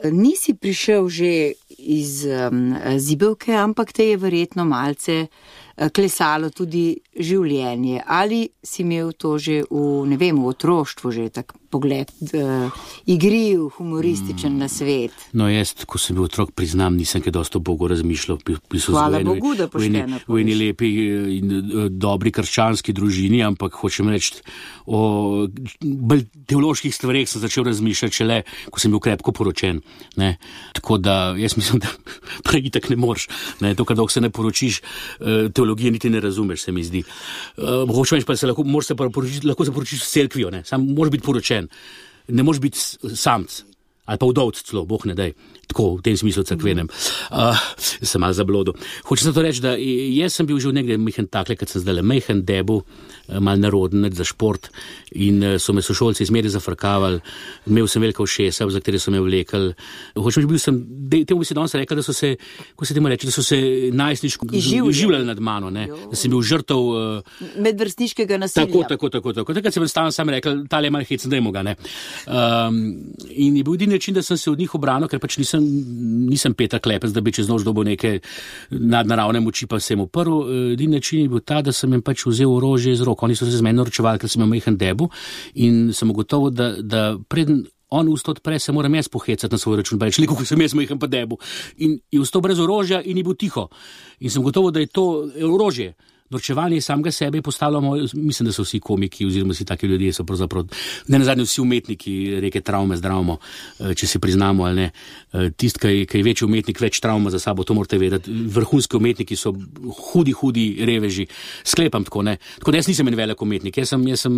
Nisi prišel že iz um, zibelke, ampak te je verjetno malce klesalo tudi življenje. Ali si imel to že v, ne vem, v otroštvu že tak pogled, uh, igriv, humorističen mm. na svet? No, jaz, ko sem bil otrok, priznam, nisem kaj dosto o Bogu razmišljal. Hvala Bogu, da pošteno poveš. V eni lepi in dobri krščanski družini, ampak hočem reči, o bolj teoloških stvareh sem začel razmišljati šele, ko sem bil krepko poročen. Ne? Tako da, jaz mislim, da prej itak ne moreš. Ne? To, kadok se ne poročiš, teologije niti ne razumeš, se mi zdi. Uh, hočem reči, pa se lahko, se poročiti, lahko se poročiš s cerkvijo, ne? Sam moraš biti poročen. Ne moreš biti samc ali pa vdovc celo, Bog ne daj. Tako, v tem smislu cerkvenem. Uh, sem malo zablodil. Hočem se to reči, da jaz sem bil že nekaj mehen takle, kad sem zdaj mehen debu, mal naroden za šport in so me sošolci izmeri zafrkavali. Imel sem velika ušesa, za katere so me vlekali. Hočem, že bil sem, temu bi se danes rekel, da so se, ko se temu reči, da so se najstniško življali nad mano, ne? Da sem bil žrtev uh, medvrstniškega nasilja. Tako, tako, tako, tako. Takrat sem stalno sam rekel, tale je malo hecen, dajmo ga, ne. Um, in je bil edini način, da sem se od njih obranil, ker pač nisem, nisem Peter Klepec, da bi čez noč dobil neke nadnaravne moči, pa sem uprl. Edini način je bil ta, da sem jim pač vzel orožje iz rok. Oni so se z meni naročevali, ker sem imel mehen debu in sem ugotovil, da, da preden on usta odpre, se moram jaz pohecati na svoj račun, pa reči, kako sem jaz mehen pa debu. In je ustal brez orožja in je bil tiho. In sem ugotovil, da je to orožje. norčevanje samega sebe je postalo moj, mislim, da so vsi komiki oziroma vsi taki ljudje so pravzaprav, ne nazadnje vsi umetniki reke travme zdravimo, če se priznamo ali ne. Tist, ki je večji umetnik, več travma za sabo, to morate vedeti. Vrhunski umetniki so hudi, hudi reveži. Sklepam tako, ne. Tako da jaz nisem en velik umetnik, jaz sem, jaz sem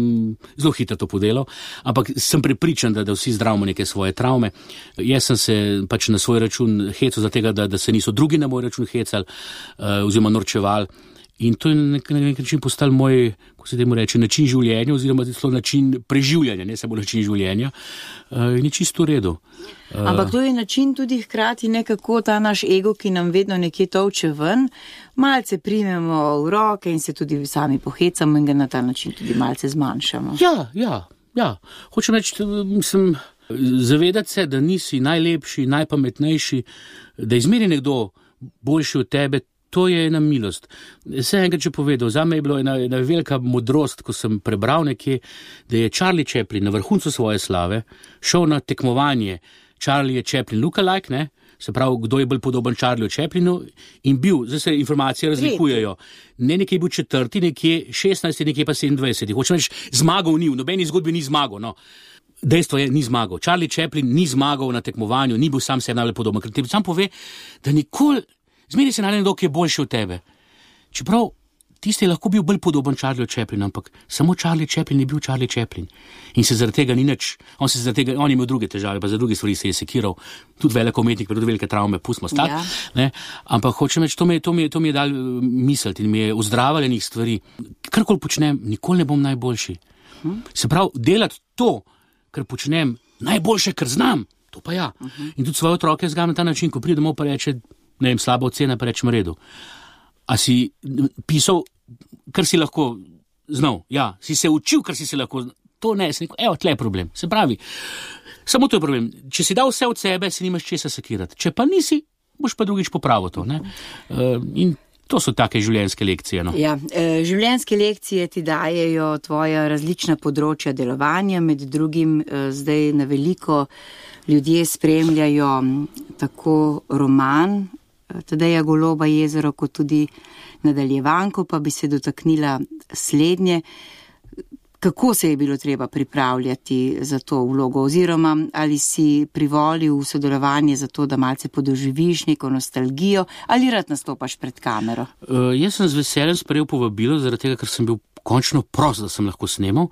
zelo hitro to podelal, ampak sem prepričan, da, da vsi zdravimo neke svoje travme. Jaz sem se pač na svoj račun hecal za tega, da, da se niso drugi na moj račun hecali oziroma norčevali. In to je na nek, nek način postal moj, ko se temu reče, način življenja oziroma celo način preživljanja, ne samo način življenja. Uh, in je čisto v redu. Uh, Ampak to je način tudi hkrati nekako ta naš ego, ki nam vedno nekje tolče ven, malce primemo v roke in se tudi sami pohecamo in ga na ta način tudi malce zmanjšamo. Ja, ja, ja. Hočem reči, mislim, zavedati se, da nisi najlepši, najpametnejši, da izmeri nekdo boljši od tebe. To je ena milost. Vse enkrat, če povedal, zame je bilo ena, ena velika modrost, ko sem prebral nekje, da je Charlie Chaplin na vrhuncu svoje slave šel na tekmovanje Charlie Chaplin lookalike, ne, se pravi, kdo je bolj podoben Charlieju Chaplinu in bil, zdaj se informacije razlikujejo, ne nekje je bil četrti, nekje šestnajsti, nekje pa sedemindvajseti. Hočem reči, zmagal ni, v nobeni zgodbi ni zmagal, no. Dejstvo je, ni zmagal. Charlie Chaplin ni zmagal na tekmovanju, ni bil sam sebi najbolj podoben, ker ti sam pove, da nikoli zmeri se najde nekdo, ki je boljši od tebe. Čeprav tisti je lahko bil bolj podoben Charlieju Chaplinu, ampak samo Charlie Chaplin je bil Charlie Chaplin. In se zaradi tega ni nič, on se zaradi tega, on je imel druge težave, pa za druge stvari se je sekiral, tudi velik umetnik, pa tudi velike travme, pustimo stati, ja. Ne, ampak hočem reči, to mi je, to mi je, to mi je dal misliti in mi je ozdravljenih stvari. Karkoli počnem, nikoli ne bom najboljši. Hm? Se pravi, delati to, kar počnem, najboljše, kar znam, to pa ja. Uh -huh. In tudi svoje otroke zgam na ta način, ko pride domov pa reče, ne vem, slaba ocena, pa rečem redu. A si pisal, kar si lahko znal? Ja, si se učil, kar si se lahko, to ne, sem rekel, evo, tle je problem. Se pravi, samo to je problem. Če si dal vse od sebe, si nimaš česa sekirati. Če pa nisi, boš pa drugič popravil to, ne? Uh, in to so take življenjske lekcije, no. Ja, življenjske lekcije ti dajejo tvoja različna področja delovanja, med drugim zdaj na veliko ljudje spremljajo tako roman Tadeja Goloba Jezero, kot tudi nadaljevanko, pa bi se dotaknila slednje. Kako se je bilo treba pripravljati za to vlogo, oziroma ali si privolil v sodelovanje za to, da malce podoživiš neko nostalgijo, ali rad nastopaš pred kamero? Uh, jaz sem z veseljem sprejel povabilo, zaradi tega, ker sem bil končno prost, da sem lahko snemal.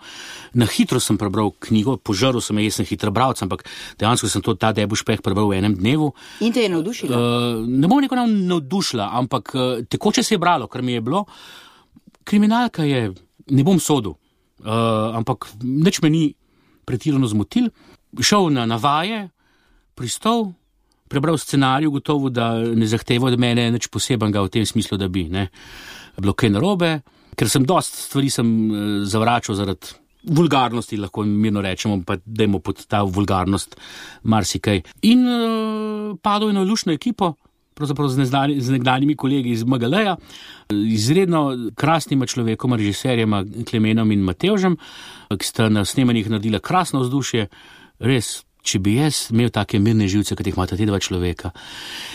Na hitro sem prebral knjigo, požaril sem, jaz sem hitra bralca, ampak dejansko sem to ta Debušpeh prebral v enem dnevu. In te je navdušila? Uh, ne bom neko navdušila, ampak uh, tekoče se je bralo, kar mi je bilo. Kriminalka je, ne bom sodil. Uh, ampak nič me ni pretirano zmotil. Šel na navaje, pristal, prebral scenarij, gotovo, da ne zahteva od mene nič posebenega v tem smislu, da bi ne bilo kaj narobe, ker sem dost stvari sem uh, zavračal zaradi vulgarnosti, lahko mirno rečemo, pa dajmo pod ta vulgarnost marsikaj. In uh, padel je na lušno ekipo, pravzaprav z, neznani, z nekdanjimi kolegi iz M G L-ja, izredno krasnima človekoma, režiserjema Klemenom in Matevžem, ki sta na snemanjih naredila krasno vzdušje. Res, če bi jaz imel take mirne živce, kot jih imata te dva človeka.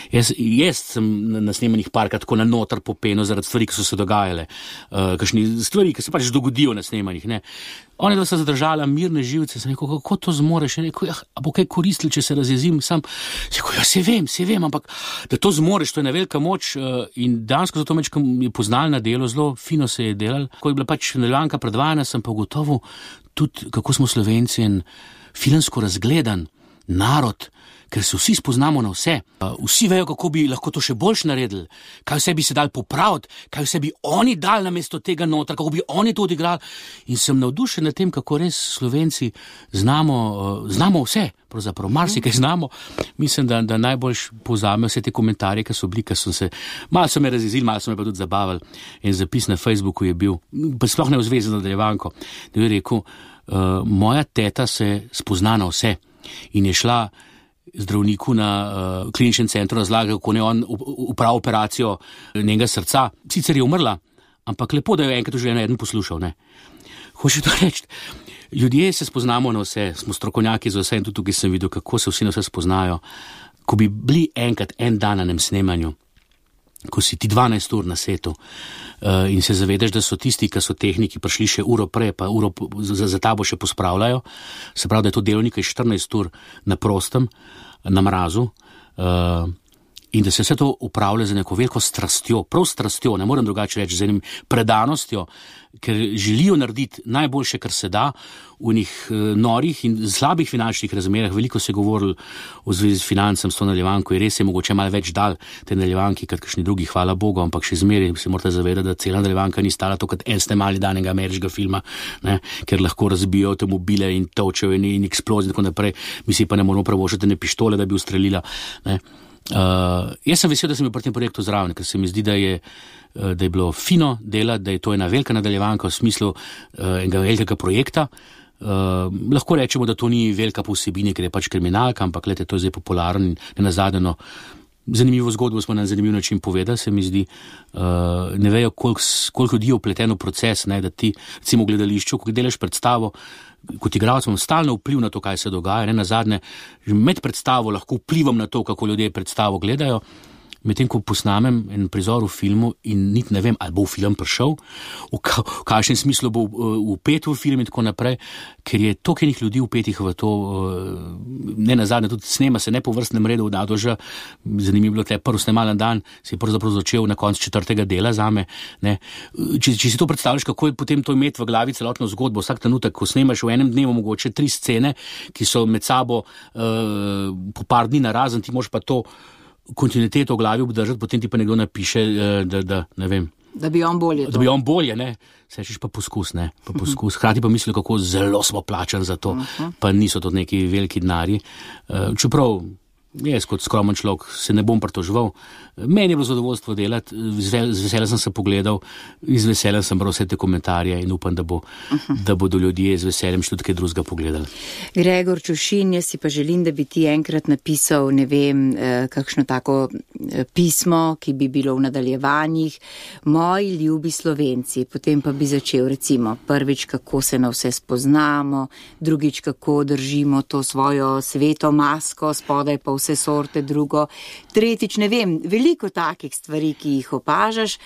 Jaz, jaz sem na snemanjih parkrat tako na noter popenil zaradi stvari, ki so se dogajale. Uh, kakšni stvari, ki se pač dogodijo na snemanjih, ne. Oni dva sta zadržala mirne živce, sem rekel, kako to zmoreš? Rekel, ja, a bo kaj koristili, če se razjezim sam? Sem rekel, ja, se vem, se vem, ampak da to zmoreš, to je ena velika moč uh, in dansko zato mečkam je poznal na delo, zelo fino se je delal. Ko je bila pač nadaljevanka predvajana, sem pa gotovo tudi, kako smo Slovenci in filmsko razgledan narod, ker se vsi spoznamo na vse. Vsi vejo, kako bi lahko to še boljš naredili, kaj vse bi se dal popraviti, kaj vse bi oni dali namesto tega noter, kako bi oni to odigrali. In sem navdušen nad tem, kako res Slovenci znamo, znamo vse, pravzaprav marsikaj znamo. Mislim, da, da najboljš povzamejo vse te komentarje, ki so bili, ki so se, malo so me razjezili, malo so me pa tudi zabavali. En zapis na Facebooku je bil, pa sploh ne v zvezi z nadaljevanko, da je rekel, uh, moja teta se spozna na vse in je šla zdravniku na uh, kliničnem centru razlaga, kako ne on upravi operacijo njenega srca. Sicer je umrla, ampak lepo, da jo enkrat v življenju eden poslušal, ne. Hoče to reči, ljudje se spoznamo na vse, smo strokovnjaki za vse in tudi tukaj sem videl, kako se vsi na vse spoznajo. Ko bi bili enkrat en dan na nem snemanju, ko si ti dvanajst ur na setu uh, in se zavedaš, da so tisti, ki so tehniki prišli še uro prej, pa uro za, za tabo še pospravljajo, se pravi, da je to delovnik štirinajst ur na prostem, na mrazu, uh, in da se vse to upravlja z neko veliko strastjo, prav strastjo, ne morem drugače reči, z enim predanostjo, ker želijo narediti najboljše, kar se da v njih norih in slabih finančnih razmerah. Veliko se je govorilo v zvezi s financem, s to naljevanko, in res je mogoče malo več dal te naljevanki, kot kakšni drugi, hvala Bogu, ampak še zmeraj se morate zavedati, da cela naljevanka ni stala to kot en snemali danega ameriškega filma, ne, ker lahko razbijo avtomobile in točejo in, in eksplozije in tako naprej. Mi si pa ne moramo pravošati ne pištole, da bi ustrelila, ne. Uh, jaz sem vesel, da sem bil pri tem projektu zraven, ker se mi zdi, da je, uh, da je bilo fino delati, da je to ena velika nadaljevanka v smislu uh, enega velikega projekta. Uh, lahko rečemo, da to ni velika po vsebini, ker je pač kriminalka, ampak glede, to je zdaj popularen in nenazadnje zanimivo zgodbo smo na zanimiv način povedali, se mi zdi. Uh, ne vejo, koliko, koliko ljudi je vpleteno v proces, ne, da ti, recimo v gledališču, ko delaš predstavo, kot igralec imam stalno vpliv na to, kaj se dogaja, ne, nazadnje, med predstavo lahko vplivam na to, kako ljudje predstavo gledajo, medtem ko posnamem en prizor v filmu in niti ne vem, ali bo v film prišel, v, ka, v kakšnem smislu bo vpet v film in tako naprej, ker je toliko enih ljudi vpetih v to, ne nazadnje, tudi snema se ne po vrstnem redu v Dadoža, zanimivo bilo tle prvi snemalen dan, se je pravzaprav začel na koncu četrtega dela zame, ne. Če, če si to predstavljaš, kako je potem to imeti v glavi celotno zgodbo, vsak trenutek, ko snemaš v enem dnevu mogoče tri scene, ki so med sabo uh, po par dni narazen, ti moraš pa to kontinuiteto v glavi obdržati, potem ti pa nekdo napiše, da, da ne vem. Da bi on bolje. Da bi on bolje, ne. Sečeš pa poskus, ne. Pa poskus. Hrati pa misli, kako zelo smo plačani za to. Uh-huh. Pa niso to neki veliki denarji. Čeprav jaz kot skromen človek se ne bom pritoževal. Meni je bilo zadovoljstvo delati, z veseljem sem se pogledal, z veseljem sem bral vse te komentarje in upam, da, bo, uh-huh. da bodo ljudje z veseljem še tudi kaj drugega pogledali. Gregor Čušin, jaz si pa želim, da bi ti enkrat napisal, ne vem, kakšno tako pismo, ki bi bilo v nadaljevanjih, moji ljubi Slovenci, potem pa bi začel recimo prvič, kako se na vse spoznamo, drugič, kako držimo to svojo sveto masko, spodaj pa vse sorte drugo, tretjič, ne vem, veliko takih stvari, ki jih opažaš,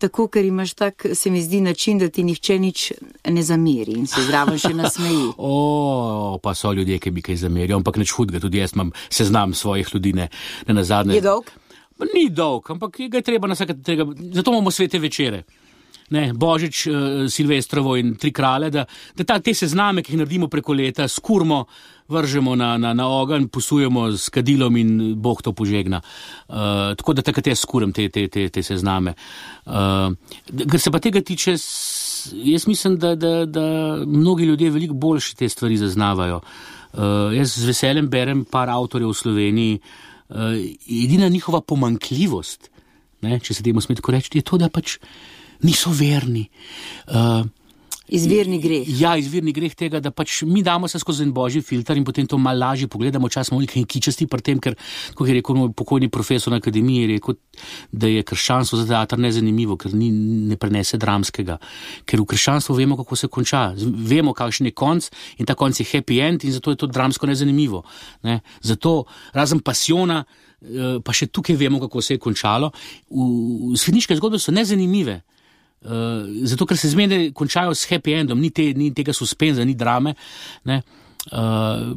tako, ker imaš tak, se mi zdi, način, da ti nihče nič ne zameri in se zraven še nasmeji. O, pa so ljudje, ki bi kaj zamerijo, ampak nič hudega, tudi jaz imam seznam svojih ljudi, ne, ne nazadnje. Je dolg? Ni dolg, ampak ga je treba na vsake tega, zato imamo svete večere. Ne, Božič, uh, Silvestrovo in tri krale, da, da ta, te sezname, ki jih naredimo preko leta, skurmo, vržemo na, na, na ogenj, posujemo s kadilom in Bog to požegna. Uh, tako da takrat jaz skuram te, te, te, te sezname. Uh, ker se pa tega tiče, jaz mislim, da, da, da mnogi ljudje veliko boljše te stvari zaznavajo. Uh, jaz z veseljem berem par avtorjev v Sloveniji, uh, edina njihova pomanjkljivost, ne, če se temu sme tako reči, je to, da pač niso verni. Uh, izvirni greh. Ja, izvirni greh tega, da pač mi damo se skozi en božji filter in potem to malo lažje pogledamo, čas smo nekaj kičasti pri tem, ker, kot je rekel moj pokojni profesor na akademiji, je rekel, da je krščanstvo za teater nezanimivo, ker ni, ne prenese dramskega. Ker v krščanstvu vemo, kako se konča. Vemo, kakšen je konc in ta konc je happy end in zato je to dramsko nezanimivo. Ne? Zato, razen pasiona, pa še tukaj vemo, kako se je končalo. V, v svetniške zgodbe so nezanimive. Uh, zato, ker se zmeraj končajo s happy endom, ni, te, ni tega suspenza, ni drame, ne. Uh,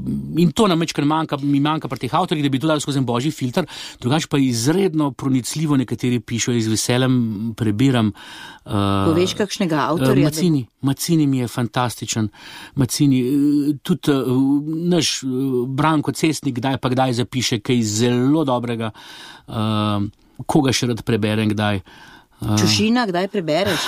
in to nam večkrat manjka, mi manjka pri teh avtorjih, da bi to dali skozi en božji filter, drugače pa izredno pronicljivo nekateri pišejo, z veseljem prebiram. Uh, Poveš kakšnega avtorja? Uh, Macini, Macini mi je fantastičen. Macini, uh, tudi uh, naš uh, Branko Cestnik kdaj pa kdaj zapiše kaj zelo dobrega, uh, koga še rad preberem kdaj. Čušina, kdaj prebereš?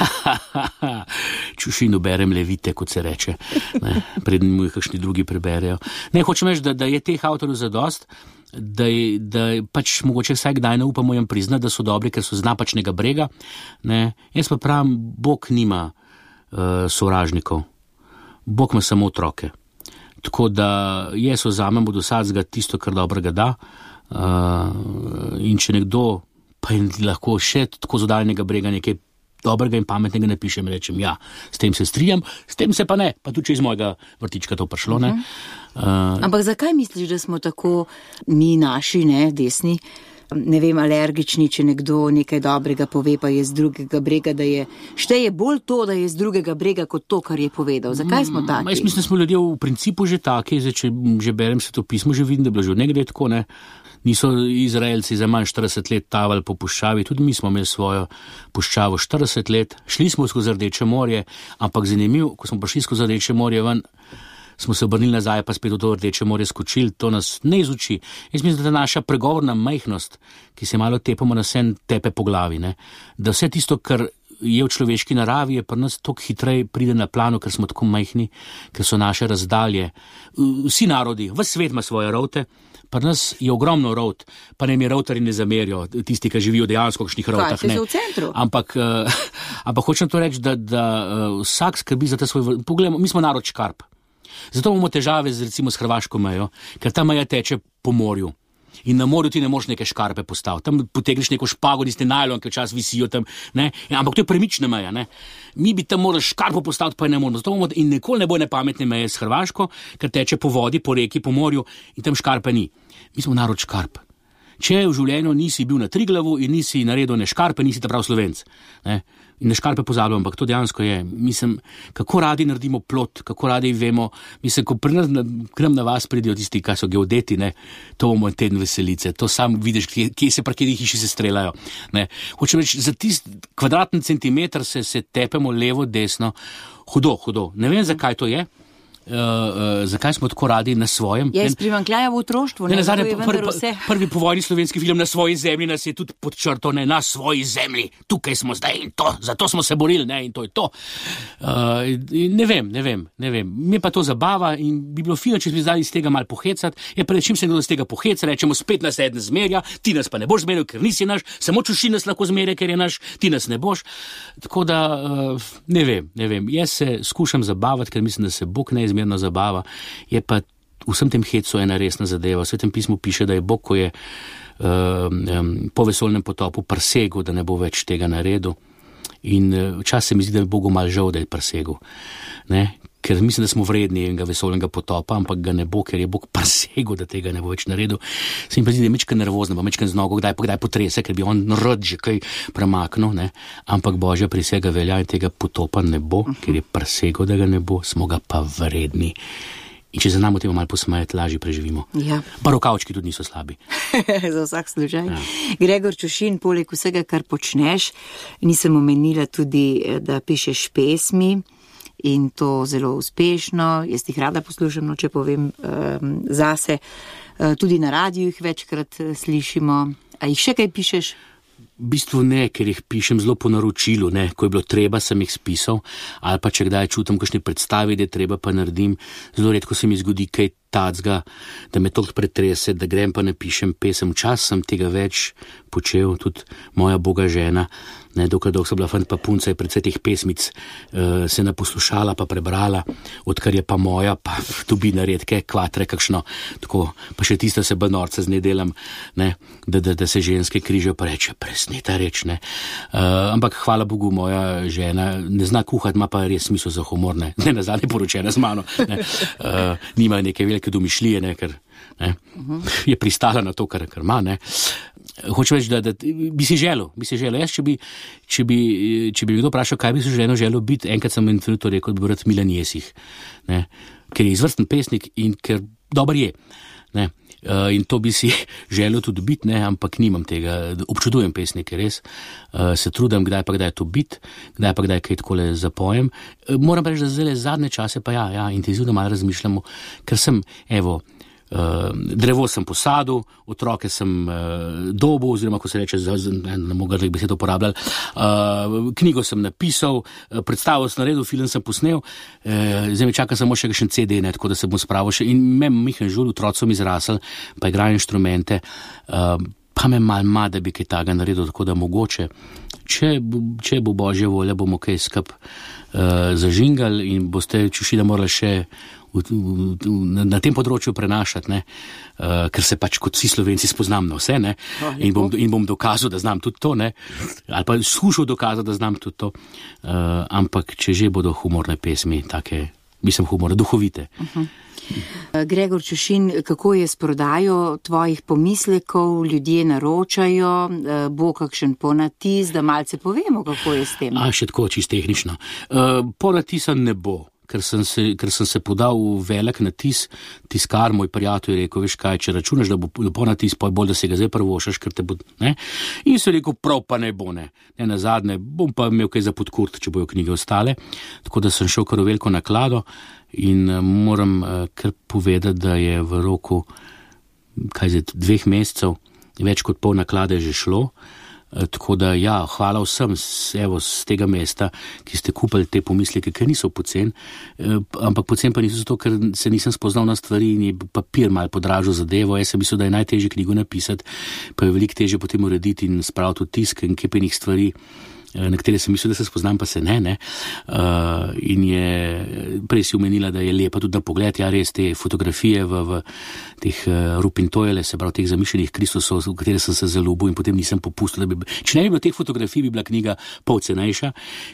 Čušino berem levite, kot se reče. Ne, predtem mu jih kakšni drugi preberejo. Ne, hočem reči, da, da je teh avtorjev zadost, da, je, da je pač mogoče vsaj kdaj ne upamo jim priznati, da so dobri, ker so z napačnega brega. Ne. Jaz pa pravim, Bog nima uh, sovražnikov. Bog ima samo otroke. Tako da jaz vzamem od vsakega tisto, kar dobrega da. Uh, in če nekdo pa in lahko še tako z oddaljnega brega nekaj dobrega in pametnega napišem in rečem, ja, s tem se strijam, s tem se pa ne, pa tudi če iz mojega vrtička to prišlo, ne. Uh, Ampak zakaj misliš, da smo tako mi naši, ne, desni, ne vem, alergični, če nekdo nekaj dobrega pove, pa je z drugega brega, da je, šteje bolj to, da je z drugega brega, kot to, kar je povedal. Zakaj smo taki? Jaz mislim, da smo ljudje v principu že taki, zdaj, če že berem Svetopismo, že vidim, da je bilo že od nekdaj tako, ne. Niso Izraelci za manj štirideset let tavali po puščavi, tudi mi smo imeli svojo puščavo štirideset let, šli smo skozi Rdeče morje, ampak zanimivo, ko smo prišli skozi Rdeče morje ven, smo se obrnili nazaj, pa spet v to Rdeče morje skočili, to nas ne izuči. Jaz mislim, da ta naša pregovorna majhnost, ki se malo tepamo na sen tepe po glavi, ne, da vse tisto, kar je v človeški naravi, je pri nas toliko hitreje pride na plano, ker smo tako majhni, ker so naše razdalje. Vsi narodi, ves svet ima svoje route, pri nas je ogromno rout, pa ne mi routerji ne zamerijo, tisti, ki živijo dejansko v kakšnih routah. Kaj, v centru? Ampak, uh, ampak hočem to reči, da, da uh, vsak skrbi za ta svoj... Poglejmo, mi smo narod škarp. Zato imamo težave z, recimo, s hrvaško mejo, ker ta meja teče po morju. In na morju ti ne moš neke škarpe postaviti. Tam potegneš neko špago, niste najlon, ker čas visijo tam, ne? Ampak to je premična meja, ne? Mi bi tam morali škarpo postaviti, pa ne moramo. Zato imamo in nikoli ne bo nepametne meje s Hrvaško, ker teče po vodi, po reki, po morju in tam škarpe ni. Mi smo narod škarp. Če v življenju nisi bil na Triglavu in nisi naredil ne škarpe, nisi ta prav Slovenc, ne? In ne škarpe pozabljam, ampak to dejansko je. Mislim, kako radi naredimo plot, kako radi vemo, mislim, ko pri nas, k nam na vas pridejo tisti, kaj so geodeti, ne, to bomo teden veselice, to sam vidiš, kje, kje se prakedi hiši se strelajo, ne. Hočem reči, za tist kvadratni centimeter se, se tepemo levo, desno, hudo, hudo. Ne vem, zakaj to je. Uh, uh, zakaj smo tako radi na svojem. Je iz primanjkljaja v otroštvu, ne, ne zato je vendar vse. Prvi povojni slovenski film Na svoji zemlji nas je tudi podčrto, ne, na svoji zemlji, tukaj smo zdaj in to, zato smo se borili, ne, in to je to. Uh, ne vem, ne vem, ne vem. Mi pa to zabava in bi bilo fino, če bi zdaj iz tega malo pohecati, je pa rečim se nekdo iz tega poheca, rečemo spet nas eden zmerja, ti nas pa ne boš zmeril, ker nisi naš, samo Čušin nas lahko zmerja, ker je naš, ti nas ne boš. Tako da, uh, ne vem, ne vem. Jaz se skušam zabavati, ker mislim, da se Bog neizmerno zabava, je pa v vsem tem hecu ena resna zadeva. V Svetem pismu piše, da je Bog, ko je uh, um, po vesoljnem potopu prsegel, da ne bo več tega naredil. In včasih se mi zdi, da je Bogu malo žal, da je prsegel. Ne? Ker mislim, da smo vredni enega vesoljnega potopa, ampak ga ne bo, ker je Bog prsegel, da tega ne bo več naredil. Se mi pa zdi, da je mečken nervozno, pa mečken z nogo, kdaj pa kdaj potrese, ker bi on rad že kaj premaknil, ne? Ampak Božja prisega velja in tega potopa ne bo, ker je prsegel, da ga ne bo, smo ga pa vredni. In če se nam o tem malo posmejati, lažje preživimo. Ja. Pa rokavčki tudi niso slabi. Za vsak slučaj. Ja. Gregor Čušin, poleg vsega, kar počneš, nisem omenila tudi, da pišeš pesmi. In to zelo uspešno, jaz jih rada poslušam, no, če povem um, zase. Uh, tudi na radiju jih večkrat uh, slišimo. A jih še kaj pišeš? V bistvu ne, ker jih pišem zelo po naročilu, ne, ko je bilo treba, sem jih spisal, ali pa če kdaj čutim kakšne predstavi, da je treba, pa naredim. Zelo redko se mi zgodi kaj tacga, da me toliko pretrese, da grem pa napišem pesem. Čas sem tega več počel, tudi moja boga žena, ne, dokaj dolgo sem bila fant pa punca, je predvsej teh pesmic uh, se naposlušala pa prebrala, odkar je pa moja, pa dobi naredke, kvatre, kakšno, tako, pa še tista se bolj norca z ne delam, ne, da, da, da se ženske križajo, pa reče, presneta reč, ne. Uh, ampak hvala Bogu, moja žena ne zna kuhati, ima pa res smisel za humor, ne, ne nazadnje poročena z mano, ne, uh, nima neke velike domišljije, ne, ker ne, je pristala na to, kar, kar ima, ne. Hočem reči, da, da bi si želel, bi si želel. Jaz, če bi, če bi, če bi kdo vprašal, kaj bi si želel, želel biti, enkrat sem en trenutek rekel, da bi rad Milan Jesih, ne, ker je izvrsten pesnik in ker dober je, ne, uh, in to bi si želel tudi biti, ne, ampak nimam tega, občudujem pesnike, res, uh, se trudim, kdaj pa kdaj to biti, kdaj pa kdaj kaj takole zapojem. Uh, moram reči, da zdaj zadnje čase pa ja, ja, intenzivno malo razmišljamo, ker sem, evo, Uh, drevo sem posadil, otroke sem uh, dobil, oziroma ko se reče, ne, ne mogo grlih besed uporabljali, uh, knjigo sem napisal, uh, predstavo sem naredil, film sem posnel, uh, zdaj me čaka samo še kakšen C D, ne, tako da se bom spravil še, in me Mihan Žul, otrocom izrasel, pa igrajo inštrumente, uh, pa me mal ma, da bi kaj taga naredil, tako da mogoče, če, če bo Božja volja, bomo kaj skup uh, zažingali in boste Čušina morali še V, v, v, na, na tem področju prenašati, ne, uh, ker se pač kot vsi Slovenci spoznam na vse, ne, oh, in, bom, in bom dokazal, da znam tudi to, ne, ali pa skušal dokazati, da znam tudi to, uh, ampak če že bodo humorne pesmi, take mislim humora, duhovite. Uh-huh. Gregor Čušin, kako je s prodajo tvojih pomislekov, ljudje naročajo, bo kakšen ponatis, da malce povemo, kako je s tem? A, še tako, čisto tehnično. Uh, ponatisa ne bo. Ker sem, se, ker sem se podal v velik natis, tiskar, moj prijatelj je rekel, veš kaj, če računaš, da bo ponatis, pa je bolj, da se ga zdaj prvošaš, ker te bo, ne? In so rekel, prav pa ne bo, ne. Ne nazadnje, bom pa imel kaj za podkurt, če bojo knjige ostale. Tako da sem šel kar v veliko naklado in uh, moram uh, kar povedati, da je v roku, kaj zdaj, dveh mesecev, več kot pol naklade že šlo. Tako da, ja, hvala vsem evo, z tega mesta, ki ste kupili te pomisleke, ker niso pocen, ampak pocen pa niso zato, ker se nisem spoznal na stvari in je papir malo podražil zadevo. Jaz sem mislil, da je najtežje knjigo napisati, pa je veliko težje potem urediti in spraviti v tisk in kepenih stvari, na katere sem mislil, da se spoznam, pa se ne, ne. Uh, in je, prej si omenila, da je lepa tudi na pogled, ja, res te fotografije v, v teh uh, Rupintojele, se pravi teh zamišljenih Kristusov, v katere sem se zaljubil in potem nisem popustil, da bi, če ne bi bilo teh fotografij, bi bila knjiga pol cenejša,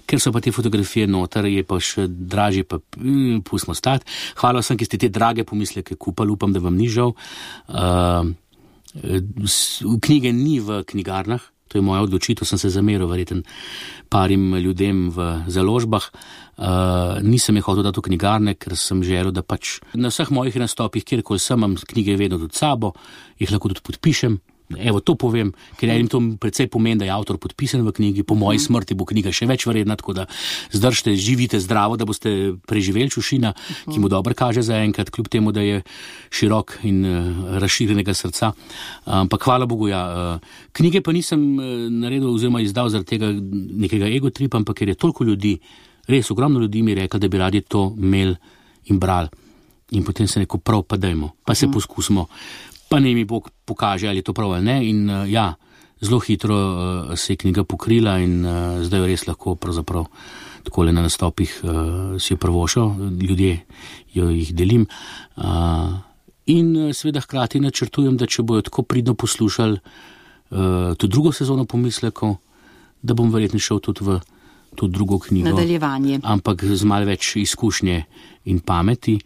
ker so pa te fotografije noter, je pa še dražje, pa mm, pustimo stati. Hvala vsem, ki ste te drage pomisleke kupali, upam, da vam ni žal. Uh, knjige ni v knjigarnah. To je moja odločitev, sem se zameril verjetno parim ljudem v založbah. Uh, nisem je hotel dati v knjigarne, ker sem želel, da pač na vseh mojih nastopih, kjerkoli sem, imam knjige vedno tudi sabo, jih lahko tudi podpišem. Evo, to povem, ker enim to precej pomeni, da je avtor podpisan v knjigi, po moji smrti bo knjiga še več vredna, tako da zdržite, živite zdravo, da boste preživeli Čušina, ki mu dobro kaže za enkrat, kljub temu, da je širok in uh, razširjenega srca. Ampak uh, hvala Bogu, ja. Uh, knjige pa nisem uh, naredil oziroma izdal zaradi tega nekega egotripa, ampak ker je toliko ljudi, res ogromno ljudi mi rekel, da bi radi to imeli in brali. In potem se neko prav, pa dajmo, pa se poskusimo. Pa ne mi Bog pokaže, ali je to prav ali ne. In uh, ja, zelo hitro uh, se je knjiga pokrila in uh, zdaj jo res lahko pravzaprav takole na nastopih uh, si jo prvošal, ljudje jo jih delim. Uh, in uh, seveda hkrati načrtujem, da če bojo tako pridno poslušali uh, to drugo sezono pomislekov, da bom verjetno šel tudi v to drugo knjigo. Nadaljevanje. Ampak z malo več izkušnje in pameti.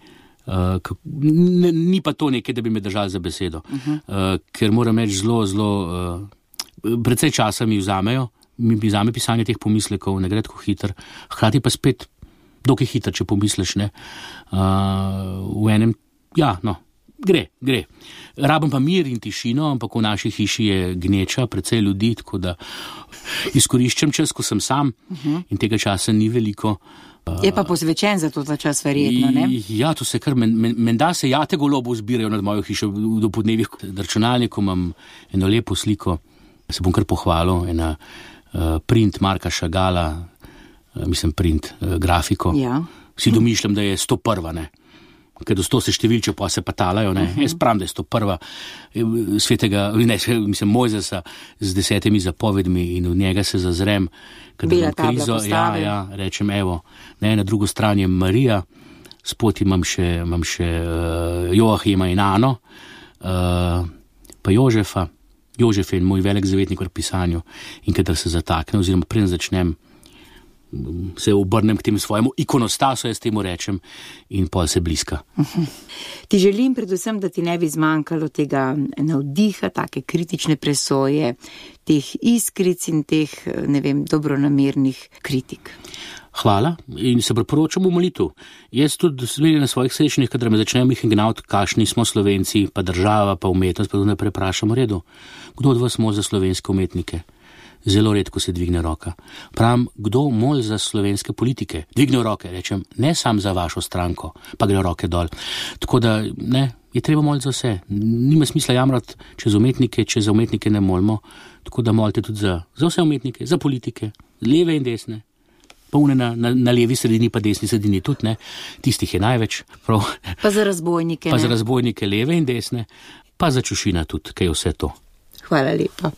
Uh, n, ni pa to nekaj, da bi me držali za besedo, uh-huh. uh, ker moram reči zelo, zelo, uh, precej časa mi vzamejo, mi vzame pisanje teh pomislekov, ne gre tako hiter, hkrati pa spet dokaj hiter, če pomisliš, ne, uh, v enem, ja, no, gre, gre. Rabim pa mir in tišino, ampak v naši hiši je gneča, precej ljudi, tako da izkoriščam čas, ko sem sam uh-huh. in tega časa ni veliko. Je pa posvečen za to ta čas verjetno, ne? Ja, to se kar, menda men, se jate golobov zbirajo nad mojo hišo do podnevih. Na računalniku imam eno lepo sliko, se bom kar pohvalil, ena uh, print Marka Šagala, uh, mislim print uh, grafiko. Ja. Si domišljam, da je sto prva, ne? Ker do sto se številče pa se patalajo, ne? Uh-huh. Jaz pravim, da je sto prva svetega, ne, mislim, Mojzesa z desetimi zapovedmi in v njega se zazrem, bila krizo, ja, ja, rečem, evo, ne, na drugo stran je Marija, spoti imam še, imam še uh, Joachima in Ano, uh, pa Jožefa, Jožef je moj velik zavetnik v pisanju in kadar se zatakne, oziroma preden začnem, se obrnem k temu svojemu ikonostasu, jaz temu rečem, in pol se bliska. Uh-huh. Ti želim predvsem, da ti ne bi zmanjkalo tega navdiha, take kritične presoje, teh iskric in teh, ne vem, dobronamernih kritik. Hvala in se priporočam v molitev. Jaz tudi na svojih srečanjih, kadar me začnejo jih gnati, kakšni smo Slovenci, pa država, pa umetnost, pa tudi ne preprašam v redu. Kdo od vas mol za slovenske umetnike? Zelo redko se dvigne roka. Pravim, kdo mol za slovenske politike? Dvigne roke, rečem, ne sam za vašo stranko, pa gre roke dol. Tako da, ne, je treba moliti za vse. Nima smisla jamrati čez umetnike, če za umetnike ne molimo. Tako da molite tudi za, za vse umetnike, za politike, leve in desne. Pa une na, na, na levi sredini, pa desni sredini tudi, ne. Tistih je največ. Prav. Pa za razbojnike, Pa ne? za razbojnike leve in desne, pa za Čušina tudi, kaj je vse to. Hvala lepa.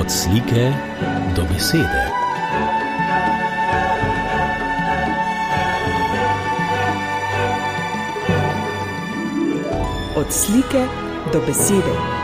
Od slike do besede. Od slike do besede.